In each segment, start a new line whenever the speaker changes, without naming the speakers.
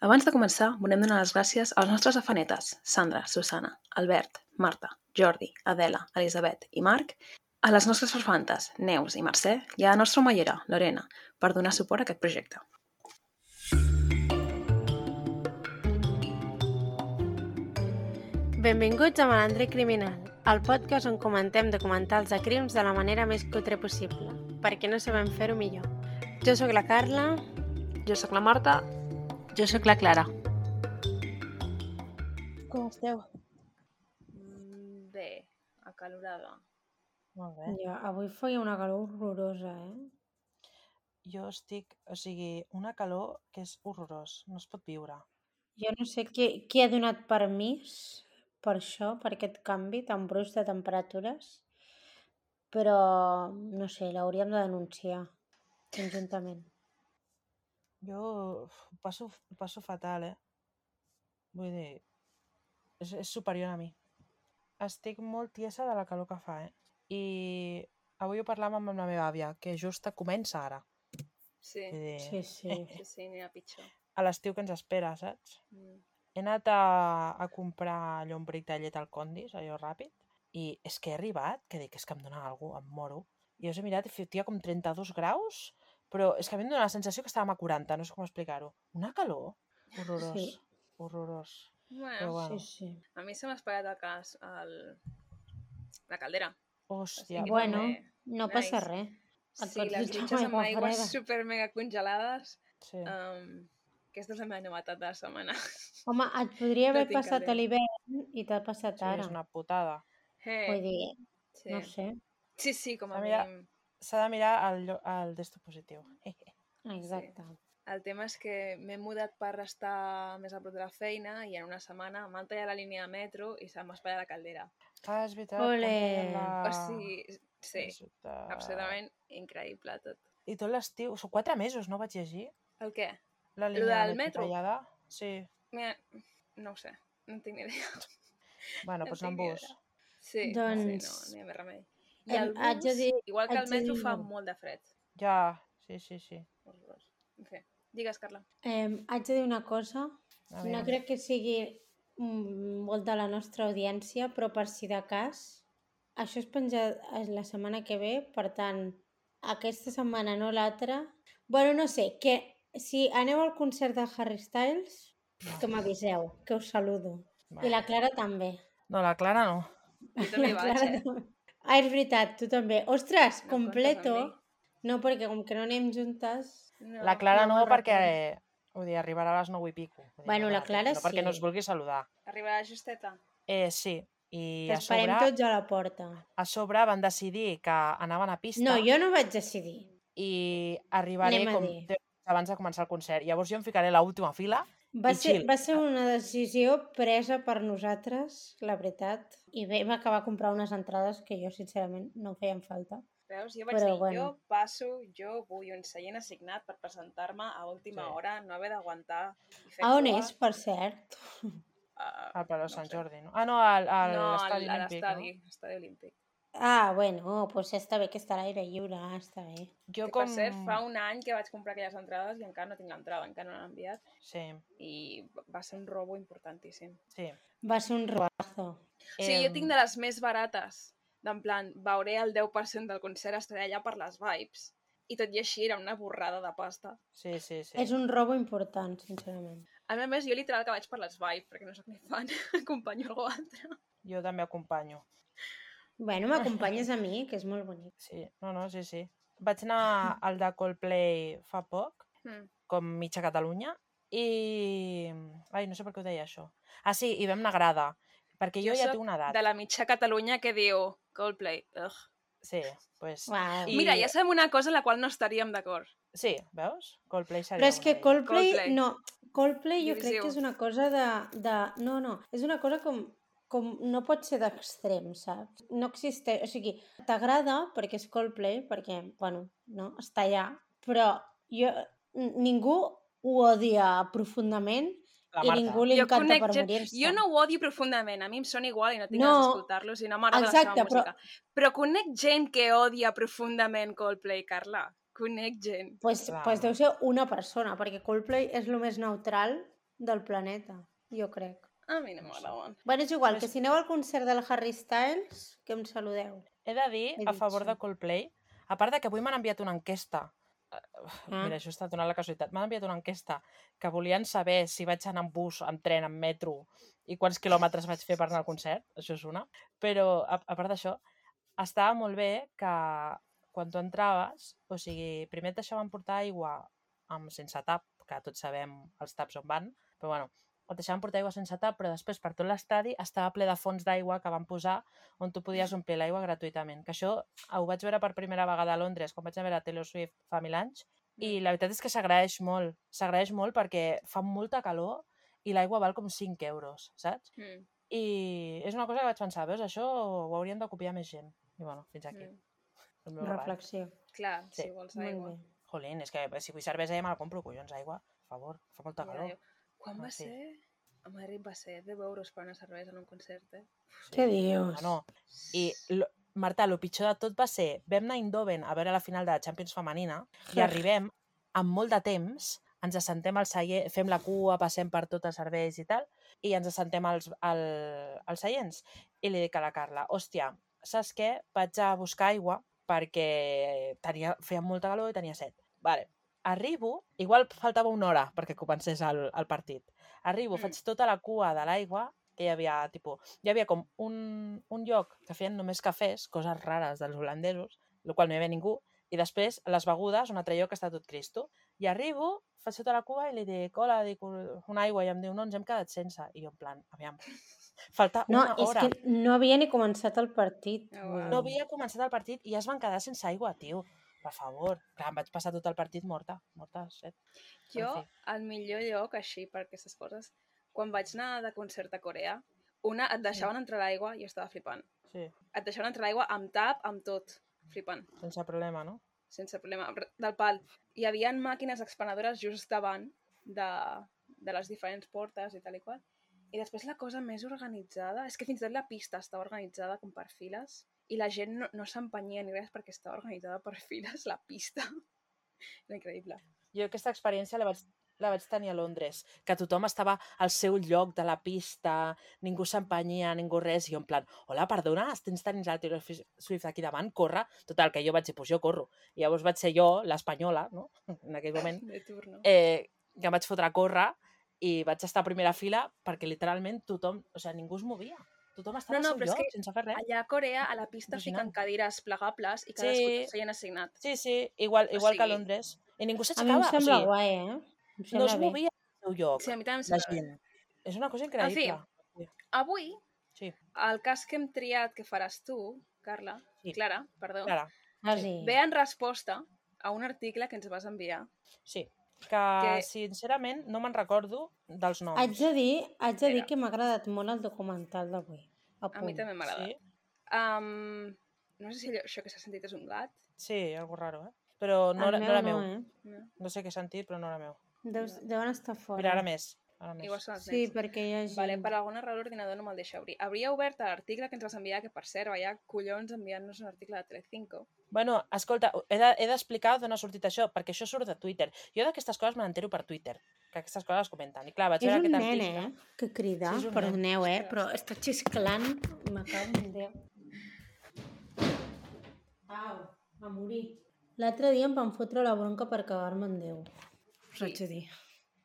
Abans de començar, volem donar les gràcies a les nostres afanetes, Sandra, Susana, Albert, Marta, Jordi, Adela, Elisabet i Marc, a les nostres farfantes, Neus i Mercè, i a la nostra omellera, Lorena, per donar suport a aquest projecte.
Benvinguts a Malandre Criminal, el podcast on comentem documentals de crims de la manera més cutre possible, perquè no sabem fer-ho millor. Jo sóc la Carla.
Jo sóc la Marta.
Jo sóc la Clara.
Com esteu?
Bé, acalorada.
Molt bé.
Ja, avui feia una calor horrorosa,
Jo estic, una calor que és horrorós, no es pot viure.
Jo no sé qui ha donat permís per això, per aquest canvi tan brusc de temperatures, però, no sé, l'hauríem de denunciar conjuntament.
Jo ho passo fatal, Vull dir, és superior a mi. Estic molt tiesa de la calor que fa, I avui ho parlàvem amb la meva àvia, que just comença ara.
Sí,
Sí.
n'hi ha pitjor.
A l'estiu que ens espera, saps? He anat a comprar allò un bric de llet al Condis, allò ràpid, i és que he arribat, que dic, és que em dona alguna cosa, em moro. I us he mirat i feia com 32 graus, però és que a mi em dona la sensació que estàvem a 40, no sé com explicar-ho. Una calor horrorós,
Sí.
horrorós.
Bueno,
Però bueno,
Sí.
a mi se m'ha espatllat la caldera.
hòstia.
Bueno,
també.
no passa res. Et
Sí,
pots
les
dutxar
dutxes amb
aigua
aigües
freda.
super mega congelades.
Sí.
Aquesta és la meva novetat de la setmana.
Home, et podria haver
No tinc
passat a
caldera.
l'hivern i t'ha passat
Sí,
ara.
és una putada.
Vull dir,
Sí.
no sé.
Sí, com a
Mira,
mínim.
S'ha de mirar el d'esto positiu.
Exacte.
El tema és que m'he mudat per estar més a prop de la feina i en una setmana m'han tallat la línia de metro i se m'ha espatllat la caldera.
Ah, és veritat.
Ole.
O sigui, sí, absolutament increïble tot.
I tot l'estiu, són 4 mesos, no vaig llegir?
El què?
La
Lo
línia
del
de
metro?
tallada? Sí.
Mira, no ho sé, no en tinc ni idea.
Bueno, doncs anar amb bus.
Sí,
Doncs-
no hi ha més remei. I el
haig de
bus,
dir-
igual que
haig
el
de
metro,
dir-
fa molt de fred.
Ja, sí.
Horrorós. En fi, digues, Carla.
Haig de dir una cosa.
A
No
veure.
crec que sigui molt de la nostra audiència, però per si de cas, això es penja la setmana que ve, per tant, aquesta setmana no l'altra. Bueno, no sé, que si aneu al concert de Harry Styles, que m'aviseu, que us saludo. I la Clara també.
No, la Clara no.
Jo també hi
La
vaig,
Clara també. Ah, és veritat, tu també. Ostres,
No
completo.
comptes amb
No, perquè com que no anem juntes...
No.
La Clara
no
no,
me'n
perquè vull dir, arribarà a les 9 i pico. Vull dir,
Bueno,
no
la
dona
Clara
temps, no perquè
sí.
no us vulgui saludar.
Arribarà justeta.
Sí, i a
T'esperem
sobre,
tots a la porta.
van decidir que anaven a pista
No, jo no vaig decidir.
i arribaré
Anem a
com
dir.
10 minuts abans de començar el concert. Llavors jo em ficaré a l'última fila
Va
i
ser
chill.
una decisió presa per nosaltres, la veritat. I vam acabar a comprar unes entrades que jo, sincerament, no feien falta.
Veus? Jo vaig
Però
dir,
bueno.
jo vull un seient assignat per presentar-me a última
Sí.
hora, no haver d'aguantar i fer
A on
cua.
és, per cert?
Al Palau
no
Sant
sé.
Jordi, no? Ah, no, a l'estadi
a
olímpic,
l'estadi olímpic.
Ah, bueno, doncs està bé que està a l'aire lliure, està bé.
Jo
Que, per cert, fa un any que vaig comprar aquelles entrades i encara no tinc l'entrada, encara no l'han enviat.
Sí,
I va ser un robo importantíssim.
sí.
Va ser un robazo.
O sigui, jo tinc de les més barates, d'en plan, veuré el 10% del concert, estaré allà per les vibes. I tot i així era una borrada de pasta.
Sí.
És un robo important, sincerament.
A més, jo literal que vaig per les vibes, perquè no sóc ni fan, acompanyo algú altre.
Jo també acompanyo.
Bueno, m'acompanyes a mi, que és molt bonic.
Sí, no, sí. Vaig anar al de Coldplay fa poc, com mitja Catalunya, i... Ai, no sé per què ho deia, això. Ah, sí, i vam anar a grada, perquè jo ja
soc
tinc una edat.
de la mitja Catalunya que diu Coldplay. Ugh.
Sí, pues...
Uau.
Mira, ja sabem una cosa en la qual no estaríem d'acord.
Sí, veus? Coldplay seria
Però és que
una d'elles.
Coldplay, no, Coldplay jo crec
Divisiu.
que és una cosa no, és una cosa com no pot ser d'extrem, saps? No existeix, o sigui, t'agrada perquè és Coldplay, perquè, bueno, no, està allà, però ningú ho odia profundament
La
i
Marta.
ningú li encanta per morir-se.
Jo no ho odio profundament, a mi em sona igual i no tinc
No.
ganes d'escoltar-los i no m'agrada la seva
Exacte,
música. Però conec gent que odia profundament Coldplay, Carla. Conec gent.
Pues deu ser una persona, perquè Coldplay és el més neutral del planeta, jo crec.
A mi no m'agraden.
Bueno, és igual,
Pues-
que si aneu al concert del Harry Styles, que em saludeu.
He de dir,
He
a
dit
favor
això.
de Coldplay, a part de que avui m'han enviat una enquesta.
Ah.
Mira, això està donant la casualitat. M'han enviat una enquesta que volien saber si vaig anar en bus, en tren, en metro i quants quilòmetres vaig fer per anar al concert. Això és una. Però, a part d'això, estava molt bé que quan tu entraves, o sigui, primer et deixaven portar aigua sense tap, que tots sabem els taps on van, però bueno, et deixaven portar aigua sense tap, però després per tot l'estadi estava ple de fonts d'aigua que van posar on tu podies omplir l'aigua gratuïtament. Que això ho vaig veure per primera vegada a Londres, quan vaig anar a veure Taylor Swift fa 1000 anys, i la veritat és que s'agraeix molt perquè fa molta calor i l'aigua val com 5 euros, saps? I és una cosa que vaig pensar, veus, això ho haurien de copiar més gent. I bueno, fins aquí. El meu relat.
Reflexió.
Clar,
Sí.
si vols
Molt
aigua.
bé.
Jolín, és que si vull cervesa ja me la compro, collons, aigua, per favor, fa molta
Ja,
calor.
Quan va
Sí.
ser? A Madrid va ser 10 euros per una cervesa en un concert, eh?
Què dius?
Bueno, i Marta, el pitjor de tot va ser, vam anar a Eindhoven a veure la final de la Champions femenina i arribem amb molt de temps, ens assentem al celler, fem la cua, passem per tots els serveis i tal, i ens assentem als seients. I li dic a la Carla, hòstia, saps què? Vaig a buscar aigua perquè feia molta calor i tenia set. Vale. Arribo, igual faltava una hora perquè comencés el partit. Arribo, faig tota la cua de l'aigua, que hi havia com un lloc que feien només cafès, coses rares dels holandesos, el qual no hi havia ningú, i després les begudes, un altre lloc que està tot Cristo. I arribo, faig tota la cua i li dic, hola, dic una aigua, i em diu, no, ens hem quedat sense. I jo en plan, aviam, falta una hora.
És que no havia ni començat el partit.
No havia començat el partit i ja es van quedar sense aigua, tio. Per favor. Clar, em vaig passar tot el partit morta, set.
Jo, el millor lloc així per aquestes coses, quan vaig anar de concert a Corea, et deixaven entrar l'aigua i jo estava flipant.
Sí.
Et deixaven entrar l'aigua amb tap, amb tot, flipant.
Sense problema, no?
Sense problema, del pal. Hi havia màquines expenedores just davant de les diferents portes i tal i qual. I després la cosa més organitzada, és que fins i tot la pista estava organitzada com per files i la gent no s'empenyia ni res perquè estava organitzada per files, la pista. Era increïble.
Jo aquesta experiència la vaig tenir a Londres, que tothom estava al seu lloc de la pista, ningú s'empenyia, ningú res, i jo en plan, hola, perdona, tens tenint el Taylor Swift aquí davant, corre. Total, que jo vaig dir, pues jo corro. I llavors vaig ser jo, l'espanyola, no? En aquell moment,
De turno.
que em vaig fotre a córrer i vaig estar a primera fila perquè literalment tothom, o sigui, ningú es movia. Tothom estava al seu
però és
lloc,
que
sense fer res.
allà a Corea, a la pista
Impressionant.
fiquen cadires plegables i cadascú té el seient assignat.
Sí, igual que a
sigui,
Londres. I ningú
A mi
s'aixecava.
em sembla guai, eh? Em
No
sembla
es
bé.
movia al seu lloc,
Sí, a mi també em
la
sembla bé.
gent. És una cosa increïble.
Avui,
Sí.
el cas que hem triat que faràs tu, Carla,
Sí.
Clara, perdó,
Clara,
Ah, sí.
ve en resposta a un article que ens vas enviar.
sí. Que sincerament no me'n recordo dels noms.
Haig de dir
Mira.
que m'ha agradat molt el documental d'avui.
A mi també m'agrada.
Sí,
No sé si això que s'ha sentit és un gat.
sí, algo raro, eh? Però no
El
era
meu
meu.
no,
No.
No sé què he sentit, però no era meu.
Deuen estar fora.
Mira, ara més.
Igual són els
Sí,
nens.
perquè hi ha gent.
Vale, per alguna raó l'ordinador no me'l deixa obrir. Hauria obert l'article que ens vas enviar, que per cert, vaya collons enviant-nos un article de Telecinco.
Bueno, escolta, he d'explicar d'on ha sortit això, perquè això surt de Twitter. Jo d'aquestes coses me n'entero per Twitter, que aquestes coses es comenten. I clar, vaig
És
veure
un
aquest
nen,
article.
que crida.
Sí, és un
Perdoneu,
nen.
però està xisclant. Me cago en Déu. Au, a morir. L'altre dia em van fotre la bronca per cagar-me en Déu. Us haig de dir.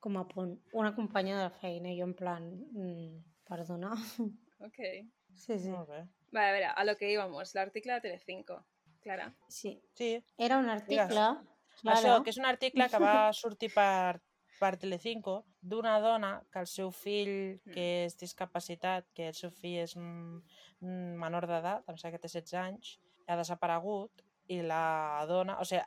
Com a punt. Una companya de la feina, i jo en plan... perdona.
Ok.
Sí.
Molt bé.
Vale, a veure, a lo que íbamos, l'article de Telecinco. Clara.
Sí.
Sí,
Era un article... Clara.
això, que és un article que va sortir per Telecinco d'una dona que el seu fill, que és discapacitat, que el seu fill és menor d'edat, em sembla que té 16 anys, ha desaparegut i la dona... O sigui,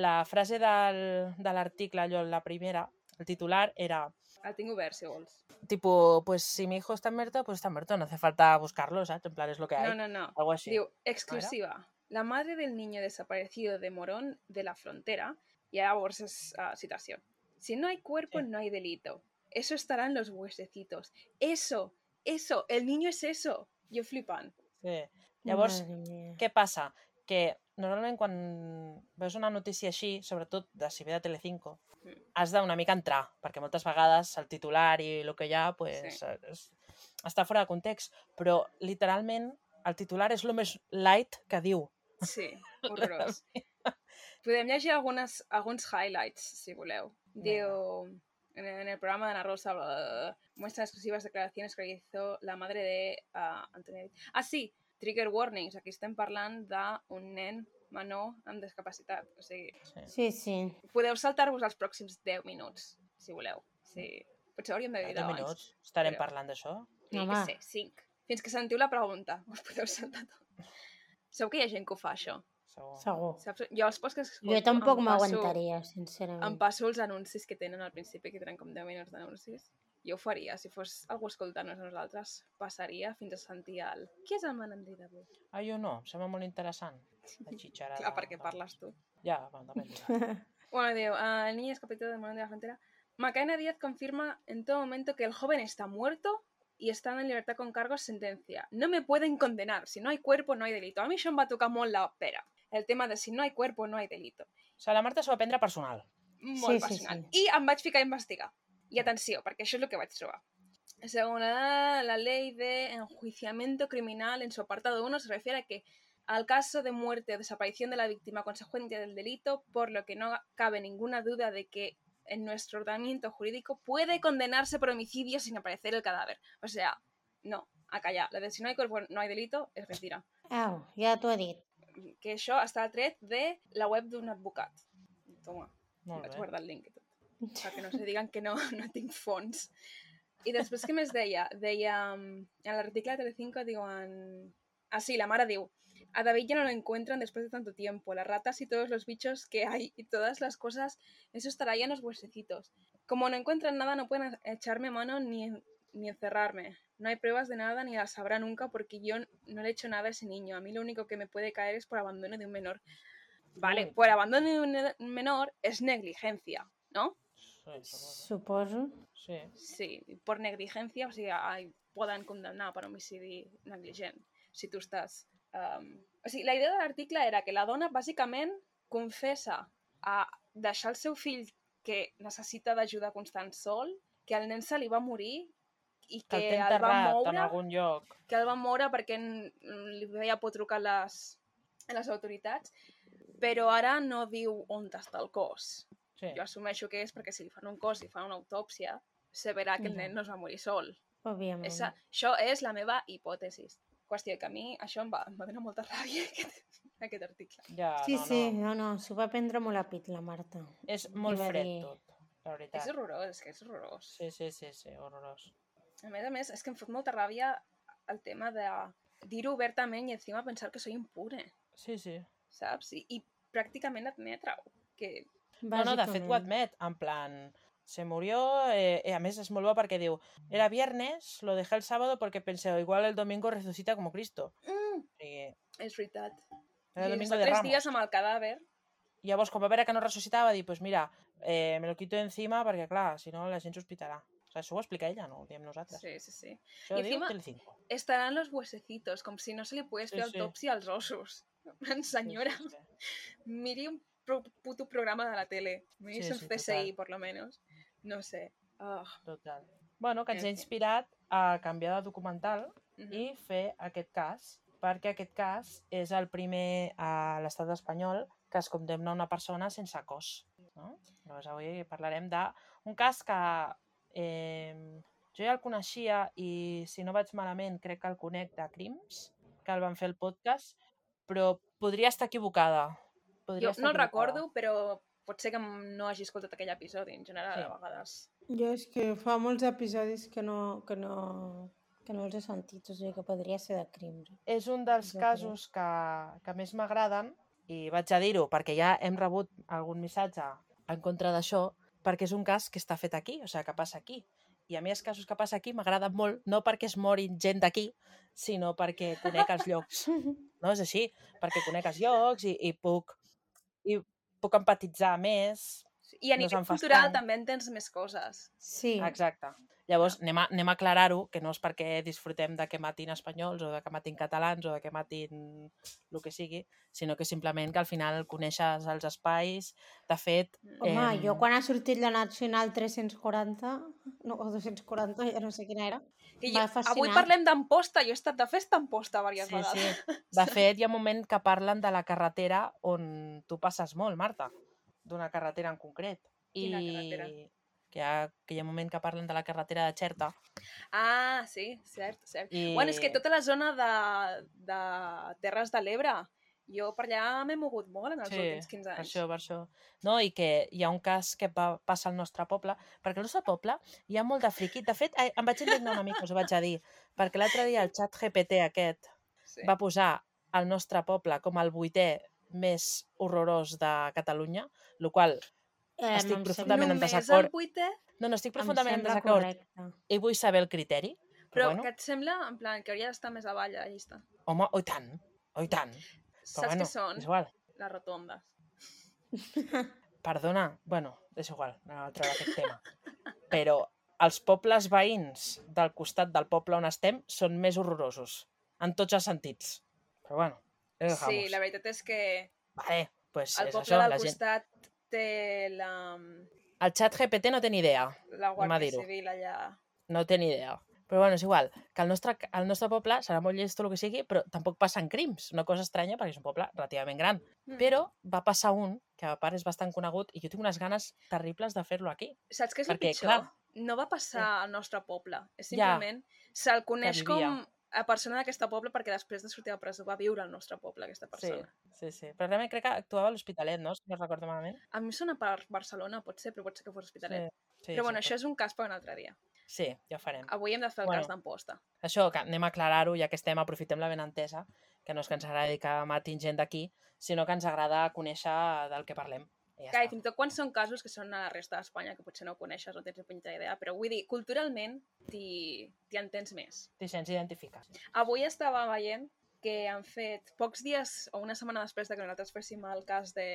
la frase de l'article, allò, la primera, el titular era...
El tinc obert, si vols.
Tipo, pues si mi hijo está muerto, pues está muerto, no hace falta buscarlo, ¿sabes? En plan, es lo que hay.
No.
Algo así.
Diu, exclusiva. La madre del niño desaparecido de Morón de la Frontera, y ahora vos es citación. Si no hay cuerpo, no hay delito. Eso estará en los huesecitos. Eso, el niño es eso. Jo flipant.
Sí. Llavors, què passa? Que normalment quan veus una notícia així, sobretot de si ve de Telecinco, has d'una mica entrar, perquè moltes vegades el titular i el que hi ha pues, està fora de context, però literalment el titular és el més light que diu.
Sí, horrorós. Podem llegir alguns highlights, si voleu. Diu, en el programa de Ana Rosa, muestra exclusivas declaraciones que hizo la madre de Antonio. Ah, sí, trigger warnings. Aquí estem parlant d'un nen menor amb discapacitat. O sigui,
Sí.
podeu saltar-vos els pròxims 10 minuts, si voleu. Sí. Potser hauríem de dir
10
abans.
minuts? Estarem parlant d'això?
Sí, que sé, 5. Fins que sentiu la pregunta. Us podeu saltar tot. Sabeu que hi ha gent que ho fa, això?
Segur.
Saps? Jo els podcasts que escolto...
Jo tampoc m'aguantaria, sincerament.
Em passo els anuncis que tenen al principi, que tenen com 10 minuts d'anuncis. Jo ho faria. Si fos algú escoltant-nos a nosaltres, passaria fins a sentir el... Qui és el malandrí d'avui?
Ah, jo no. Em sembla molt interessant. La xitxarada.
Clar, perquè parles tu.
Ja, bueno, depèn.
Bueno, diu, el niño es capítulo del Morón de la Frontera. Macarena Díaz confirma en todo momento que el joven está muerto y está en libertad con cargos sentencia. No me pueden condenar. Si no hay cuerpo, no hay delito. A mi això em va tocar molt la pera. El tema de si no hay cuerpo, no hay delito.
O sigui, la Marta s'ho va prendre personal.
Molt personal. I em vaig ficar a investigar. I atenció, perquè això és el que vaig trobar. Según la ley de enjuiciamiento criminal, en su apartado 1, se refiere a que al caso de muerte o desaparición de la víctima consecuencia del delito, por lo que no cabe ninguna duda de que en nuestro ordenamiento jurídico puede condenarse por homicidio sin aparecer el cadáver. O sea, no, a callar. La de si no hay cuerpo, no hay delito, és mentira.
Au, ja t'ho he dit.
Que això està tret de la web d'un advocat. Toma, vaig guardar el link i tot. Perquè no se digan que no tinc fons. I després, què més deia? Deia, en l'article de Telecinco diuen... Ah, sí, la mare diu, a David ya no lo encuentran después de tanto tiempo. Las ratas y todos los bichos que hay y todas las cosas, eso estará ya en los huesecitos. Como no encuentran nada, no pueden echarme mano ni encerrarme. No hay pruebas de nada ni las sabrá nunca porque yo no le he hecho nada a ese niño. A mí lo único que me puede caer es por abandono de un menor. Vale, por abandono de un menor es negligencia, ¿no?
Suposo.
Sí, por negligencia, o sigui, poden condemnar per homicidi negligent, si tu estàs... O sigui, la idea de l'article era que la dona, bàsicament, confessa a deixar el seu fill que necessita d'ajuda constant sol, que el nen se li va morir i que el va moure,
en algun lloc.
Que el va moure perquè li veia por trucar a les autoritats, però ara no diu on està el cos. Sí. Jo assumeixo que és perquè si li fan un cos i fan una autòpsia, se verà que el nen no es va morir sol.
Òbviament.
Això és la meva hipòtesi. Qüestió que a mi això em va donar molta ràbia, aquest article.
Ja, sí, no, s'ho va prendre molt a pit, la Marta.
És molt fred tot, la veritat.
És horrorós, que és horrorós.
Sí, horrorós.
A més, és que em fot molta ràbia el tema de dir-ho obertament i encima pensar que soy impune.
Sí.
Saps? I pràcticament admetre-ho. Que...
No, de fet ho admet, en plan... Se murió, a més és molt bo perquè diu era viernes, lo dejé el sábado porque pensé, igual el domingo resucita como Cristo.
És veritat.
Era el domingo
de Ramos. 3 dies amb el cadàver.
I llavors, com va veure que no ressuscitava, dir, pues mira, me lo quito encima perquè, clar, si no la gent sospitarà. O sea, això ho explica ella, no ho diem nosaltres.
Sí.
Això ho diu Telecinco.
Estaran los huesecitos, com si no se li pogués fer autòpsia als ossos. Senyora, miri un puto programa de la tele. Miri un CSI, por lo menos. No sé.
Total. Bueno, que ens ha inspirat a canviar de documental i fer aquest cas, perquè aquest cas és el primer a l'estat espanyol que es condemna una persona sense cos. No? Llavors avui parlarem d'un cas que jo ja el coneixia i, si no vaig malament, crec que el conec de Crims, que el van fer el podcast, però podria estar equivocada.
Jo no el recordo, però pot ser que no hagi escoltat aquell episodi, en general, a vegades.
Jo és que fa molts episodis que no els he sentit, o sigui que podria ser de Crims.
És un dels casos que més m'agraden, i vaig a dir-ho perquè ja hem rebut algun missatge en contra d'això, perquè és un cas que està fet aquí, o sigui, que passa aquí. I a mi els casos que passa aquí m'agraden molt, no perquè es morin gent d'aquí, sinó perquè conec els llocs. No és així, perquè conec els llocs i puc empatitzar més.
I a nivell cultural també entens més coses.
Sí.
Exacte. Llavors, anem a aclarar-ho, que no és perquè disfrutem de que matin espanyols o de que matin catalans o de que matin el que sigui, sinó que simplement que al final coneixes els espais. De fet...
Home, jo quan ha sortit la Nacional 340, no, o 240, ja no sé quina era, m'ha fascinat.
Avui parlem d'Amposta, jo he estat de festa a Amposta diverses vegades.
Sí. De fet, hi ha un moment que parlen de la carretera on tu passes molt, Marta, d'una carretera en concret.
Quina carretera?
Que hi ha un moment que parlen de la carretera de Xerta.
Ah, sí, cert. Bueno, és que tota la zona de Terres de l'Ebre, jo per allà m'he mogut molt en els últims 15 anys.
Per això. No, i que hi ha un cas que passa al nostre poble, perquè al nostre poble hi ha molt de friqui. De fet, em vaig indignar una mica, us ho vaig a dir, perquè l'altre dia el xat GPT aquest va posar el nostre poble com el 8è més horrorós de Catalunya, el qual estic profundament en desacord.
Només el 8è?
No, estic profundament en desacord. I vull saber el criteri.
Però què et sembla, en plan, que hauria d'estar més avall a la llista?
Home, oh i tant.
Saps què són?
És igual.
Les rotondes.
Perdona, bueno, és igual, anem a treure aquest tema. Però els pobles veïns del costat del poble on estem són més horrorosos, en tots els sentits. Però bueno,
sí, la veritat és que
vale, pues
el
és
poble
això,
del costat té la...
El xat GPT no té ni idea.
La Guàrdia Civil allà...
No té ni idea. Però bueno, és igual, que el nostre poble serà molt llest o el que sigui, però tampoc passen crims. Una cosa estranya, perquè és un poble relativament gran. Però va passar un, que a part és bastant conegut, i jo tinc unes ganes terribles de fer-lo aquí.
Saps què és el pitjor? Clar, no va passar al nostre poble. És simplement, se'l coneix com a persona d'aquest poble perquè després de sortir de presó va viure al nostre poble, aquesta persona.
Sí. Però realment crec que actuava a l'Hospitalet, no? Si no recordo malament.
A mi sona per Barcelona, pot ser, però pot ser que fos Hospitalet. Però bueno, això és un cas per un altre dia.
Sí, ja ho farem.
Avui hem de fer el cas d'Amposta.
Això, que anem a aclarar-ho, ja que estem, aprofitem la benentesa, que no és que ens agradi que matin gent d'aquí, sinó que ens agrada conèixer del que parlem.
I fins i tot quan són casos que són a la resta d'Espanya, que potser no coneixes, no tens ni punyeta idea, però vull dir, culturalment t'hi entens més.
T'hi sents identificar.
Avui estava veient que han fet pocs dies o una setmana després de que nosaltres féssim el cas de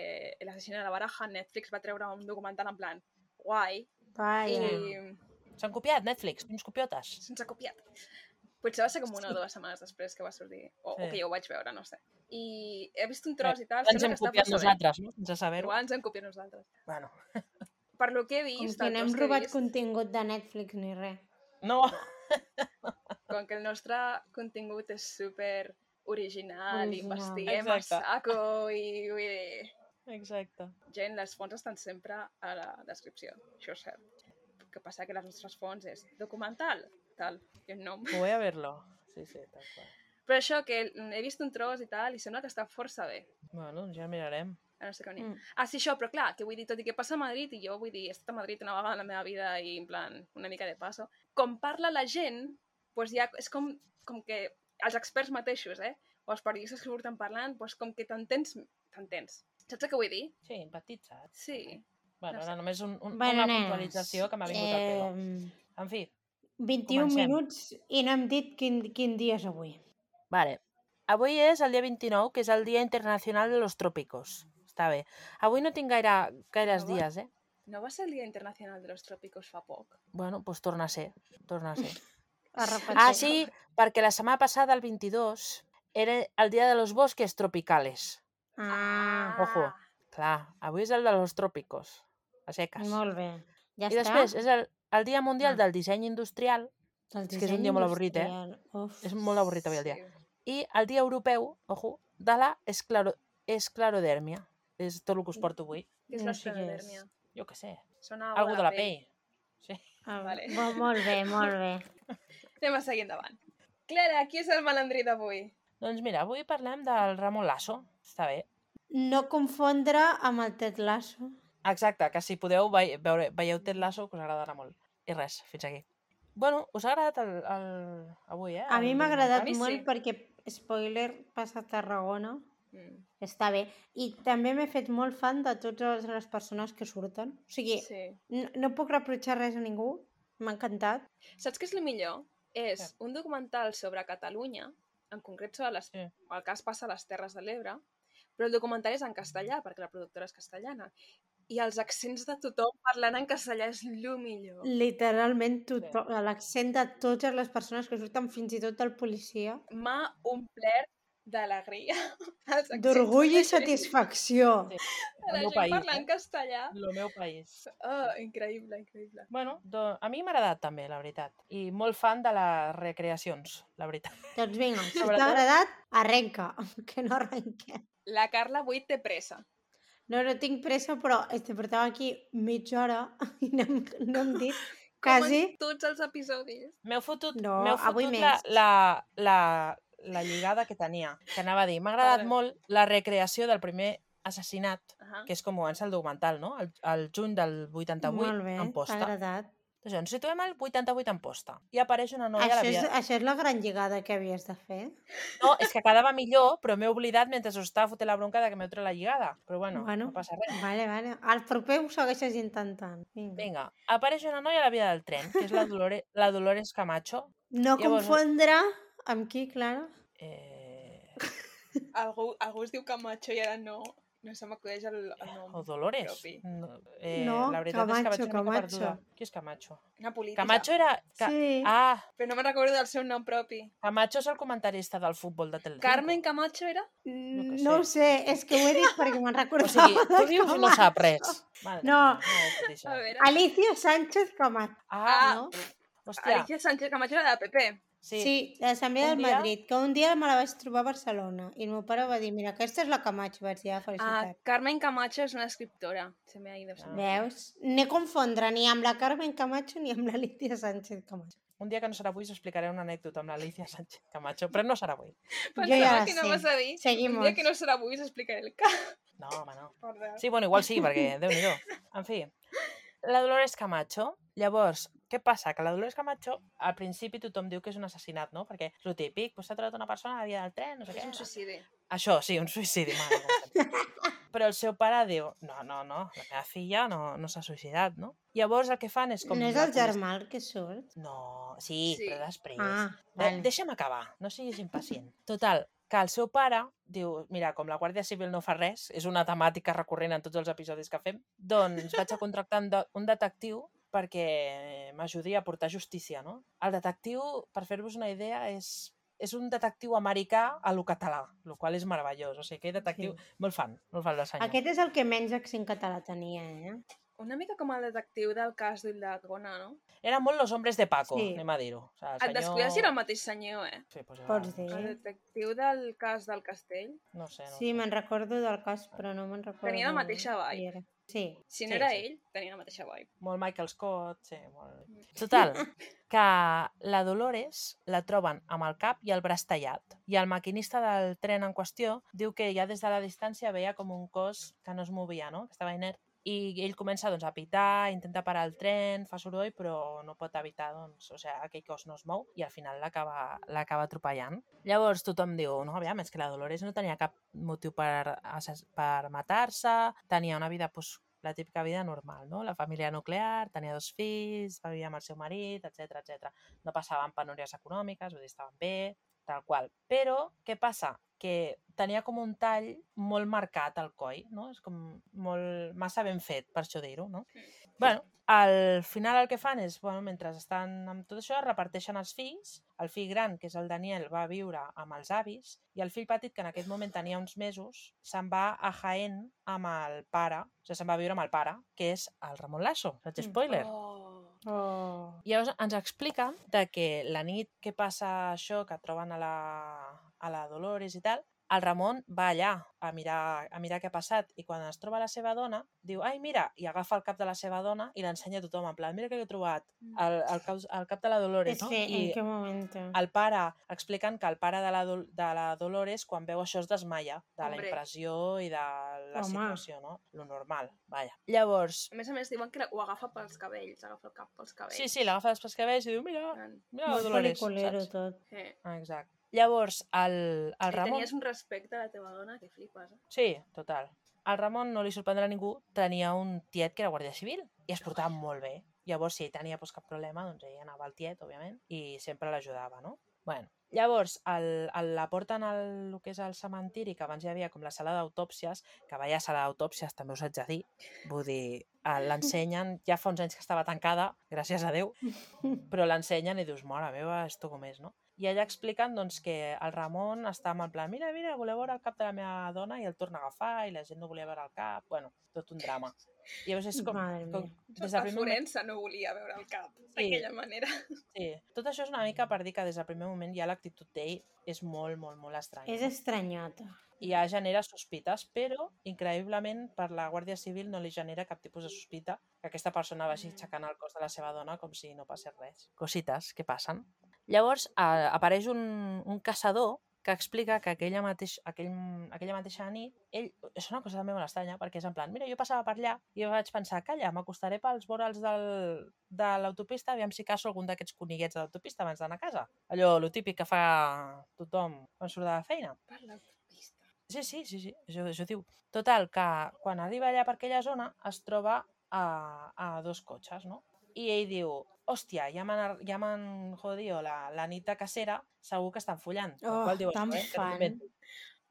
l'assassina de la Baraja, Netflix va treure un documental en plan guai.
S'han copiat Netflix, uns copiotes.
Se'ns ha copiat. Potser va ser com una o 2 setmanes després que va sortir, o que jo ho vaig veure, no sé. I he vist un tros i tal.
Ens hem copiat nosaltres, no? Sense saber-ho.
Igual ens hem copiat nosaltres.
Bueno.
Per lo que he vist...
Com que no hem robat contingut de Netflix ni res.
No.
Com que el nostre contingut és super original. I investiguem a saco i vull dir...
Exacte.
Gent, les fonts estan sempre a la descripció, això és cert. El que passa que les nostres fonts és documental, tal, i un nom.
Voy a verlo. Sí, tal qual.
Però això, que he vist un tros i tal, i sembla que està força bé.
Bueno, ja mirarem.
No sé com sí, això, però clar, que vull dir, tot i que passa a Madrid, i jo vull dir, he estat a Madrid una vegada en la meva vida i en plan, una mica de passo, com parla la gent, doncs ja és com que els experts mateixos, o els periodistes que surten parlant, doncs com que t'entens. Saps el que vull dir?
Sí, empatitzat.
Sí.
Bueno, ara només una puntualització que m'ha vingut al pelo. En fi,
21 minuts i no hem dit quin dia és avui.
Vale. Avui és el dia 29, que és el Dia Internacional de los Trópicos. Està bé. Avui no tinc gaires dies,
No va ser el Dia Internacional de los Trópicos fa poc?
Bueno, doncs torna a ser.
Ah,
sí, perquè la setmana passada, el 22, era el Dia de los Bosques Tropicales. Ojo. Clar, avui és el de los Trópicos. A seques.
Molt bé. Ja
I després és el Dia Mundial del Disseny Industrial. És que és un dia molt avorrit, És molt avorrit avui el dia. I el Dia Europeu, ojo, de la esclerodèrmia. És tot el que us porto avui.
Què és l'esclerodèrmia?
Jo què sé.
Sona
algú de la pell. Sí.
Vale. Molt bé.
Anem a seguir endavant. Clara, qui és el malandrí d'avui?
Doncs mira, avui parlem del Ramon Lasso. Està bé.
No confondre amb el Ted Lasso.
Exacte, que si podeu veieu Ted Lasso, que us agradarà molt. I res, fins aquí. Bueno, us ha agradat avui,
A mi m'ha agradat molt perquè, spoiler, passa a Tarragona. Està bé. I també m'he fet molt fan de totes les persones que surten. O sigui, no puc reprotxar res a ningú. M'ha encantat.
Saps què és el millor? És un documental sobre Catalunya, en concret sobre el cas passa a les Terres de l'Ebre, però el documental és en castellà, perquè la productora és castellana. I els accents de tothom parlant en castellà és el millor.
Literalment tothom, l'accent de totes les persones que surten, fins i tot del policia.
M'ha omplert d'alegria.
D'orgull i satisfacció.
Sí.
De
El
la
meu
gent
país,
parlant castellà.
El meu país.
Increïble, increïble.
Bueno, a mi m'ha agradat també, la veritat. I molt fan de les recreacions, la veritat.
Doncs vinga, si t'ha
Sobretot-
agradat, arrenca, que no arrenquem.
La Carla avui té pressa.
No tinc pressa, però portava aquí mitja hora i no hem dit
Com
quasi...
en tots els episodis.
M'heu fotut,
No, avui
la,
més.
la lligada que tenia, que anava a dir. M'ha agradat
Parlem.
molt la recreació del primer assassinat,
Uh-huh.
que és com comença el documental, no? El juny del 88,
Molt bé,
en
t'ha
posta.
agradat.
Doncs ens situem al 88 en posta. I apareix una noia a la via...
Això és la gran lligada que havies de fer?
No, és que quedava millor, però m'he oblidat mentre us estava fotent la bronca de que m'heu tret la lligada. Però bueno, no passa res.
Vale. Al proper ho segueixes intentant.
Vinga, apareix una noia a la via del tren, que és la Dolores Camacho.
No
Llavors,
confondre amb qui, Clara?
Algú es diu Camacho i ara no se m'acudeix el nom.
O Dolores.
propi.
No,
la veritat és que vaig una mica
Camacho.
perduda. Qui és Camacho?
Una política.
Camacho era...
Sí.
Ah,
Però no me'n recordo del seu nom propi.
Camacho és el comentarista del futbol de Telecinco.
Carmen Camacho era?
No ho sé, és que ho he dit perquè me'n
O
recordava.
sigui, tu dius i no sap res. Mare
No.
meva,
A veure.
Alicia Sánchez Camacho.
Ah,
No?
hòstia.
Alicia Sánchez Camacho era de PP.
Sí, de l'Assemblea
Un
del
dia-
Madrid, que un dia me la vaig trobar a Barcelona i el meu pare va dir, mira, aquesta és la Camacho, vaig dir, felicitat.
Carmen Camacho és una escriptora. Se m'ha ido.
Veus? No confondre ni amb la Carmen Camacho ni amb l'Alicia Sánchez Camacho.
Un dia que no serà avui us explicaré una anècdota amb l'Alicia Sánchez Camacho, però no serà avui.
Pensava que anaves a dir.
Seguimos.
Un dia que no serà avui us explicaré el cas.
No, home, no.
Perdó.
Sí, bueno, igual sí, perquè Déu-n'hi-do. En fi, la Dolores Camacho, llavors, què passa? Que la Dolores Camacho, al principi tothom diu que és un assassinat, no? Perquè és el típic, s'ha trobat una persona a la via del tren, no sé
És
què.
un suïcidi.
Això, sí, un suïcidi, mare. Però el seu pare diu, no, la meva filla no s'ha suïcidat, no? Llavors el que fan és com...
No és el germà el que surt?
No, sí,
Sí.
però després.
Ah, vale.
Deixa'm acabar, no siguis impacient. Total, que el seu pare diu, mira, com la Guàrdia Civil no fa res, és una temàtica recurrent en tots els episodis que fem, doncs vaig a contractar un detectiu perquè m'ajudi a portar justícia, no? El detectiu, per fer-vos una idea, és un detectiu americà a lo català, el qual és meravellós. O sigui, aquell detectiu, molt fan del senyor.
Aquest és el que menys accent català tenia, eh?
Una mica com el detectiu del cas d'Ildagona, no?
Eren molt los hombres de Paco,
Sí.
anem a dir-ho. O sigui,
Et descuides si era el mateix senyor, eh?
Sí, pues
Pots
era...
dir.
El detectiu del cas del castell.
No sé, no
Sí,
sé.
me'n recordo del cas, però no me'n recordo.
Tenia la mateixa vibe.
qui era. Sí.
Si no
Sí,
era
sí.
ell, tenia la mateixa vibe.
Molt Michael Scott, sí, molt... Total, que la Dolores la troben amb el cap i el braç tallat. I el maquinista del tren en qüestió diu que ja des de la distància veia com un cos que no es movia, no? Que estava inert. I ell comença doncs, a pitar, intenta parar el tren, fa soroll, però no pot evitar, doncs, o sigui, aquell cos no es mou i al final l'acaba atropellant. Llavors tothom diu, no, aviam, és que la Dolores no tenia cap motiu per matar-se, tenia una vida, doncs, la típica vida normal, no? La família nuclear, tenia 2 fills, va viure amb el seu marit, etc. No passaven penúries econòmiques, vull dir, estaven bé, tal qual. Però, què passa? Que tenia com un tall molt marcat al coll, no? És com molt massa ben fet, per això dir-ho, no? Bueno, al final el que fan és, bueno, mentre estan amb tot això, reparteixen els fills. El fill gran, que és el Daniel, va viure amb els avis i el fill petit, que en aquest moment tenia uns mesos, se'n va a Jaén amb el pare, o sigui, se'n va a viure amb el pare, que és el Ramon Lasso, faig spoiler.
Oh.
I llavors ens explica de que la nit que passa això, que troben a la Dolores i tal, el Ramon va allà a mirar què ha passat i quan es troba la seva dona, diu, ai, mira, i agafa el cap de la seva dona i l'ensenya a tothom, en plan, mira què he trobat, el cap de la Dolores, no?
Sí, en què moment?
El pare, expliquen que el pare de la Dolores, quan veu això, es desmaia de la
Hombre.
impressió i de la
Home.
situació, no? Lo normal, vaja. Llavors,
A més, diuen que ho agafa pels cabells, agafa el cap pels cabells.
sí, l'agafa dels cabells i diu, mira la
Molt
Dolores,
pel·liculero
saps?
tot.
Sí.
Exacte. Llavors, el
I
Ramon...
tenies un respecte a la teva dona que flipes, eh?
Sí, total. Al Ramon no li sorprendrà a ningú, tenia un tiet que era guàrdia civil i es portava molt bé. Llavors, si ell tenia cap problema, doncs ell anava al tiet, òbviament, i sempre l'ajudava, no? Bueno, Llavors, la porten al que és el cementiri, que abans hi havia com la sala d'autòpsies, que vaya sala d'autòpsies, també us haig de dir. Vull dir, l'ensenyen, ja fa uns anys que estava tancada, gràcies a Déu, però l'ensenyen i dius, mare meva, esto com és, no? I allà expliquen doncs, que el Ramon està en plan, mira, voleu veure el cap de la meva dona, i el torna a agafar, i la gent no volia veure el cap, bueno, tot un drama. I llavors és com
Madre mia.
des del
El
primer moment...
forense no volia veure el cap d'aquella manera.
Sí, tot això és una mica per dir que des del primer moment ja l'actitud d'ell és molt, molt, molt estranya.
És estranyota.
I ja genera sospites, però increïblement per la Guàrdia Civil no li genera cap tipus de sospita que aquesta persona vagi aixecant el cos de la seva dona com si no passés res. Cosites que passen. Llavors apareix un caçador que explica que aquella mateixa nit, ell, és una cosa també molt estranya, perquè és en plan, mira, jo passava per allà i jo vaig pensar, calla, m'acostaré pels vorals de l'autopista, aviam si caço algun d'aquests coniguets de l'autopista abans d'anar a casa. Allò, lo típic que fa tothom quan surt de la feina.
Per l'autopista.
Sí, això diu. Total, que quan arriba allà per aquella zona es troba a dos cotxes, no? I ell diu, hòstia, ja m'han jodido la nit de cacera, segur que estan follant.
Oh,
Qual diu
tan
això, que no
fan.
m'invento.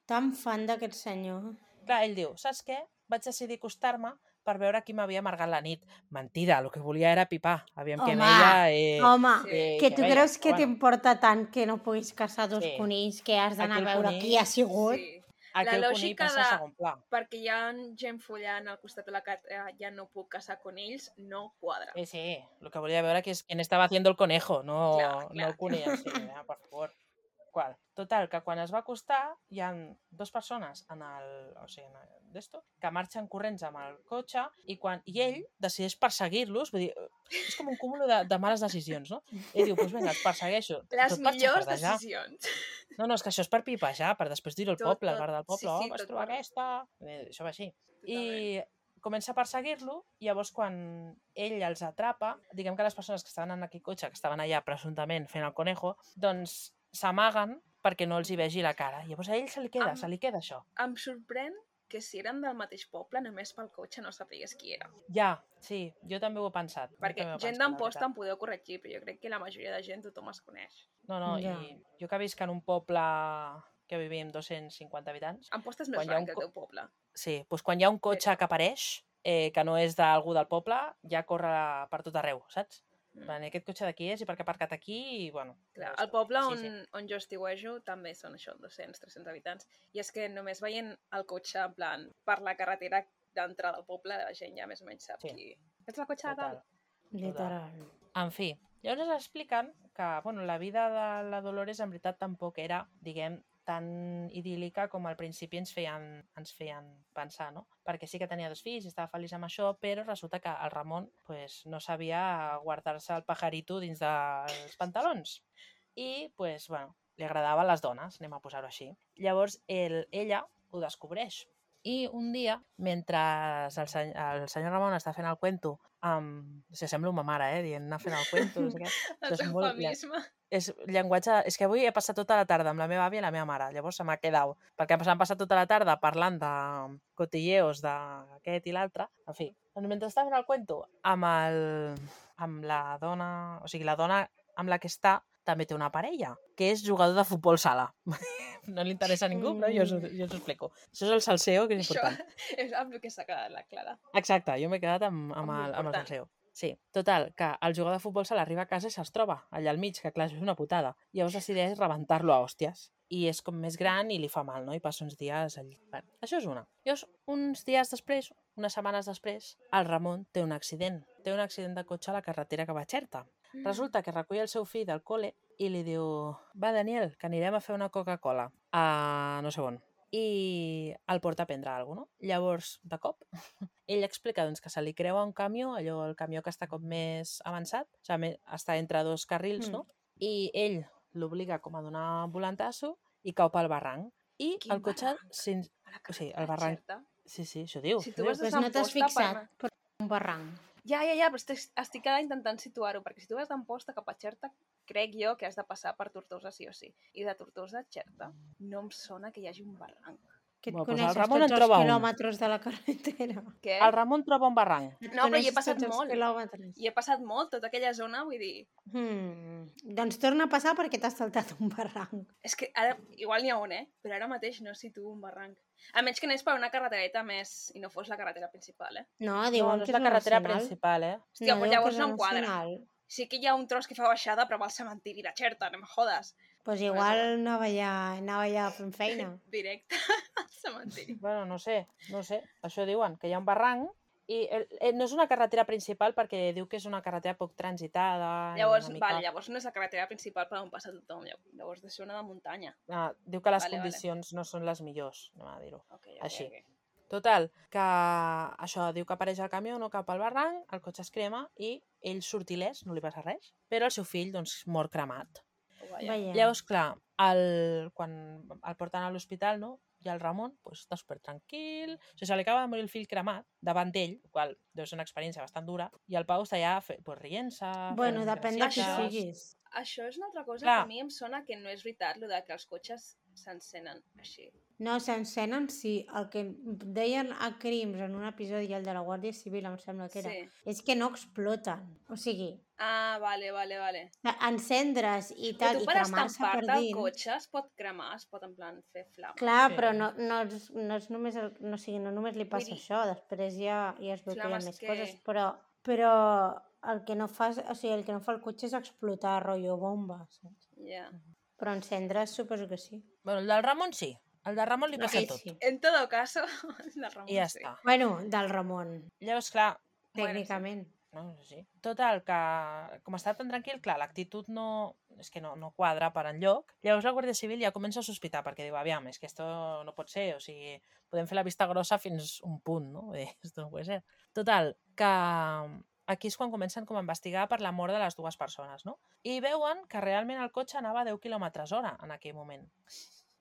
Tan fan d'aquest senyor.
Clar, ell diu, saps què? Vaig decidir acostar-me per veure qui m'havia amargat la nit. Mentida, el que volia era pipar. Aviam què
Home,
veia.
Home,
Sí.
que tu
veia,
creus que
però bueno.
t'importa tant que no puguis caçar dos
Sí.
conills, que has d'anar a
Aquell
veure
conill-
qui ha sigut?
Sí.
Aquell
La
conill
lògica
passa
de-
a segon pla.
Perquè hi ha gent follant al costat de la carretera, ja no puc caçar conills, no quadra.
Sí, lo que volia veure que és quién estava haciendo el conejo, no,
Clar,
no el conill en si, por favor. Qual? Total, que quan es va acostar hi ha dues persones d'esto, que marxen corrents amb el cotxe i ell decideix perseguir-los, vull dir, és com un cúmul de males decisions, no? Ell diu, doncs vinga, els persegueixo.
Les
tot per
millors
xafardejar.
decisions.
No, és que això és per pipejar, per després dir-ho al
Tot,
poble, al
tot.
bar del poble,
Sí,
vas
tot
trobar
per-
aquesta... Això va així.
Totalment.
I comença a perseguir-lo, i llavors quan ell els atrapa, diguem que les persones que estaven en aquell cotxe, que estaven allà presumptament fent el conejo, doncs s'amaguen perquè no els hi vegi la cara. Llavors a ell se li queda això.
Em sorprèn que si eren del mateix poble, només pel cotxe no sapigués qui era.
Ja, sí, jo també ho he pensat.
Perquè gent d'Amposta em podeu corregir, però jo crec que la majoria de gent tothom es coneix.
No,
Ja.
i jo que visc en un poble que vivim 250 habitants,
Amposta és més
Quan hi ha
gran
un
que el teu poble.
sí, doncs quan hi ha un cotxe que apareix, que no és d'algú del poble, ja corre per tot arreu, saps? Aquest cotxe d'aquí és i per què ha aparcat aquí i, bueno...
Clar,
llavors,
el poble
sí.
on jo estiuejo també són això, 200-300 habitants. I és que només veient el cotxe, en plan, per la carretera d'entrada al poble, la gent ja més o menys sap
Sí.
qui... Ets el cotxe de
Total.
tal?
Literal.
En fi, llavors expliquen que la vida de la Dolores en veritat tampoc era, diguem, tan idíl·lica com al principi ens feien pensar, no? Perquè sí que tenia dos fills i estava feliç amb això, però resulta que el Ramon pues, no sabia guardar-se el pajarito dins dels pantalons. I, pues, bueno, li agradaven les dones, anem a posar-ho així. Llavors, ella ho descobreix. I un dia, mentre el senyor Ramon està fent el cuento sembla una mare, dient anar fent el cuento, no sé què.
El eufemisme.
És llenguatge... És que avui he passat tota la tarda amb la meva àvia i la meva mare, llavors se m'ha quedat. Perquè s'han passat tota la tarda parlant de cotilleos d'aquest i l'altre. En fi, doncs mentre està fent el cuento amb la dona... O sigui, la dona amb la que està també té una parella, que és jugador de futbol sala. No li interessa a ningú, però jo us ho explico. Això és el salseo, que és important.
Això és amb el que s'ha quedat la Clara.
Exacte, jo m'he quedat amb el
l'important.
salseo. Sí, total, que el jugador de futbol sala arriba a casa i se'ls troba allà al mig, que clar, és una putada. I llavors decideix rebentar-lo a hòsties. I és com més gran i li fa mal, no? I passa uns dies allà. Bé, això és una. Llavors, uns dies després, unes setmanes després, el Ramon té un accident. Té un accident de cotxe a la carretera que va a Xerta. Resulta que recull el seu fill del col·le i li diu, va, Daniel, que anirem a fer una Coca-Cola a no sé on. I el porta a prendre alguna cosa, no? Llavors, de cop, ell explica doncs, que se li creua un camió, allò, el camió que està com més avançat, o sigui, està entre dos carrils, no? I ell l'obliga com a donar un volantasso i cau pel barranc. I
Quin
el cotxe...
barranc?
O sigui, el barranc...
Xerta.
Sí, això diu.
Si
això
tu
diu.
vas de
Pues
Sant
no t'has
Posta
fixat per un barranc.
Ja, però estic ara intentant situar-ho, perquè si tu vas d'Amposta cap a Xerta, crec jo que has de passar per Tortosa sí o sí. I de Tortosa a Xerta no em sona que hi hagi un barranc.
Que et
Bueno, doncs el
coneixes
Ramon en
tots els
troba un.
quilòmetres de la carretera.
Què?
El Ramon troba un barranc.
Et
No, però hi he
coneixes
passat
tots els
molt.
quilòmetres.
I he passat molt, tota aquella zona, vull dir...
Doncs torna a passar perquè t'has saltat un barranc.
És que ara, igual n'hi ha un, però ara mateix no situo un barranc. A menys que anés per una carretereta més i no fos la carretera principal,
No,
No,
diuen
no
que
és
és
la
la
carretera
nacional.
principal,
Hòstia,
No,
doncs
diuen que
llavors
és la
no em quadra.
nacional.
Sí que hi ha un tros que fa baixada, però va al cementiri de Xerta, no em jodes.
Doncs igual anava ja fent feina.
Directe al cementiri.
Bueno, no sé. Això diuen, que hi ha un barranc i no és una carretera principal perquè diu que és una carretera poc transitada.
Llavors,
una mica...
vale, llavors no és la carretera principal per on passa tothom. Llavors de ser una de muntanya.
Diu que les
Vale,
condicions no són les millors, anem a dir-ho.
Okay.
Així. Total, que això diu que apareix el camió, no cap al barranc, el cotxe es crema i ell surt il·lès, no li passa res, però el seu fill doncs mor cremat.
Veiem.
Llavors, clar, quan el porten a l'hospital, no? I el Ramon pues, està super tranquil, o sigui, se li acaba de morir el fill cremat davant d'ell, el qual deu ser una experiència bastant dura, i el Pau està allà pues, rient-se...
Bueno, depèn de qui
gracietes.
siguis.
Això és una altra cosa
Clar.
que a mi em sona que no és veritat, el de que els cotxes s'encenen així.
No, s'encenen, sí. El que deien a Crims en un episodi, el de la Guàrdia Civil, em sembla que era,
Sí.
és que no exploten. O sigui,
Ah, vale.
encendre's i tal,
Però tu
i
per
cremar-se per
estampar-te el
dins...
cotxe es pot cremar, es pot en plan fer flama.
Clar,
Sí.
però no és només no només li passa
Vull dir,
això, després ja es veu que hi ha
flames
més
que-
coses, però el que no fa, o sigui, el que no fa el cotxe és explotar, rotllo bomba, saps?
Ja.
Però encendre's suposo que sí.
Bueno, el del Ramon sí. El del Ramon li passa
Aquell
tot.
sí.
En todo caso, la Ramon
I ja
sí.
està.
Bueno, del Ramon,
Llavors, clar,
tècnicament.
no, sí. Total, que com està tan tranquil, clar, l'actitud no quadra per enlloc. Llavors la Guàrdia Civil ja comença a sospitar, perquè diu, aviam, és que esto no pot ser, o sigui, podem fer la vista grossa fins un punt, no? Vull dir, esto no puede ser. Total, que aquí és quan comencen com a investigar per la mort de les dues persones, no? I veuen que realment el cotxe anava a 10 km/h en aquell moment.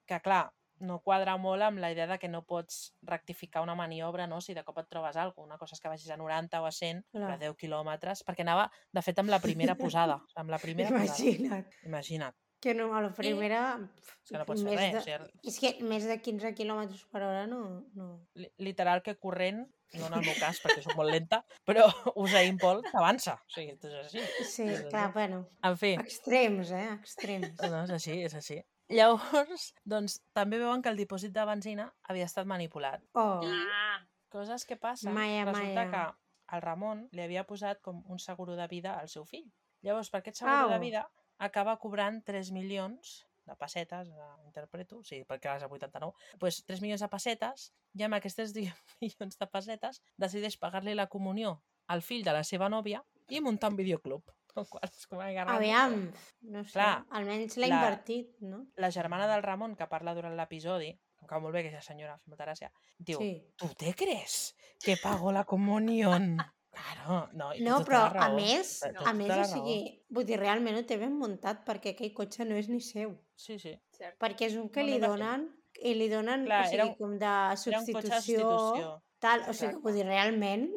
Que, clar, no quadra molt amb la idea de que no pots rectificar una maniobra, no? Si de cop et trobes alguna cosa. Una cosa és que vagis a 90 o a 100,
Clar.
però a 10 quilòmetres, perquè anava, de fet, amb la primera posada. Amb la primera
Imagina't.
posada. Imagina't.
Que no, a la primera...
És que no pots fer res. O sigui,
És que més de 15 km/h no.
literal que corrent, no en el meu cas, perquè soc molt lenta, però Usain Bolt avança. O sigui, és així.
Sí,
És
clar,
així.
bueno.
En fi,
Extrems, extrems.
no, és així. Llavors, doncs, també veuen que el dipòsit de benzina havia estat manipulat.
Oh,
Ah,
Coses que passen.
Maia,
Resulta
Maia.
que el Ramon li havia posat com un seguro de vida al seu fill. Llavors, per aquest seguro de vida, acaba cobrant 3 milions de pessetes, interpreto, sí, perquè ara és el 89, doncs 3 milions de pessetes, i amb aquests 10 milions de pessetes decideix pagar-li la comunió al fill de la seva nòvia i muntar un videoclub. El qual és com
Aviam, no sé,
Clar,
almenys l'ha
la-
invertit, no?
La germana del Ramon, que parla durant l'episodi, em cau molt bé aquesta senyora, fa molta gràcia, diu,
Sí.
¿tú te crees que pago la comunión? Claro, no, i té
No,
tota
però
la
a
raó.
més,
Té
o
tota la
sigui, vull dir, realment ho té ben muntat perquè aquell cotxe no és ni seu.
Sí, sí.
cert.
Perquè és un que
No,
li
no,
donen, i li donen,
Clar,
o sigui,
era un-
com de
Era un cotxe de
substitució,
substitució.
tal, o sigui,
Exacte.
vull dir, realment,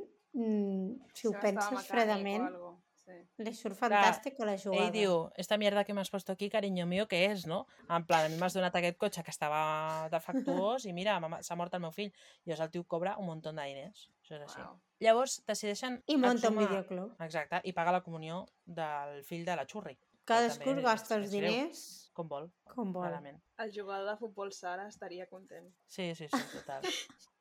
si ho
Estava
penses
mecànic o
fredament,
algo, sí.
li surt fantàstica la jugada.
Ell diu, esta mierda que m'has puesto aquí, cariño mío, què és, no? En plan, a mi m'has donat aquest cotxe que estava defectuós i mira, s'ha mort el meu fill. I llavors el tio cobra un munt de diners. Això és així.
Wow.
Llavors decideixen
I munta un
exhumar-
videoclub.
Exacte, i paga la comunió del fill de la Xurri.
Cadascú
també
es gasta
és
els
greu.
diners
Com vol,
com vol.
clarament.
El jugador de futbol Sara estaria content.
Sí, total.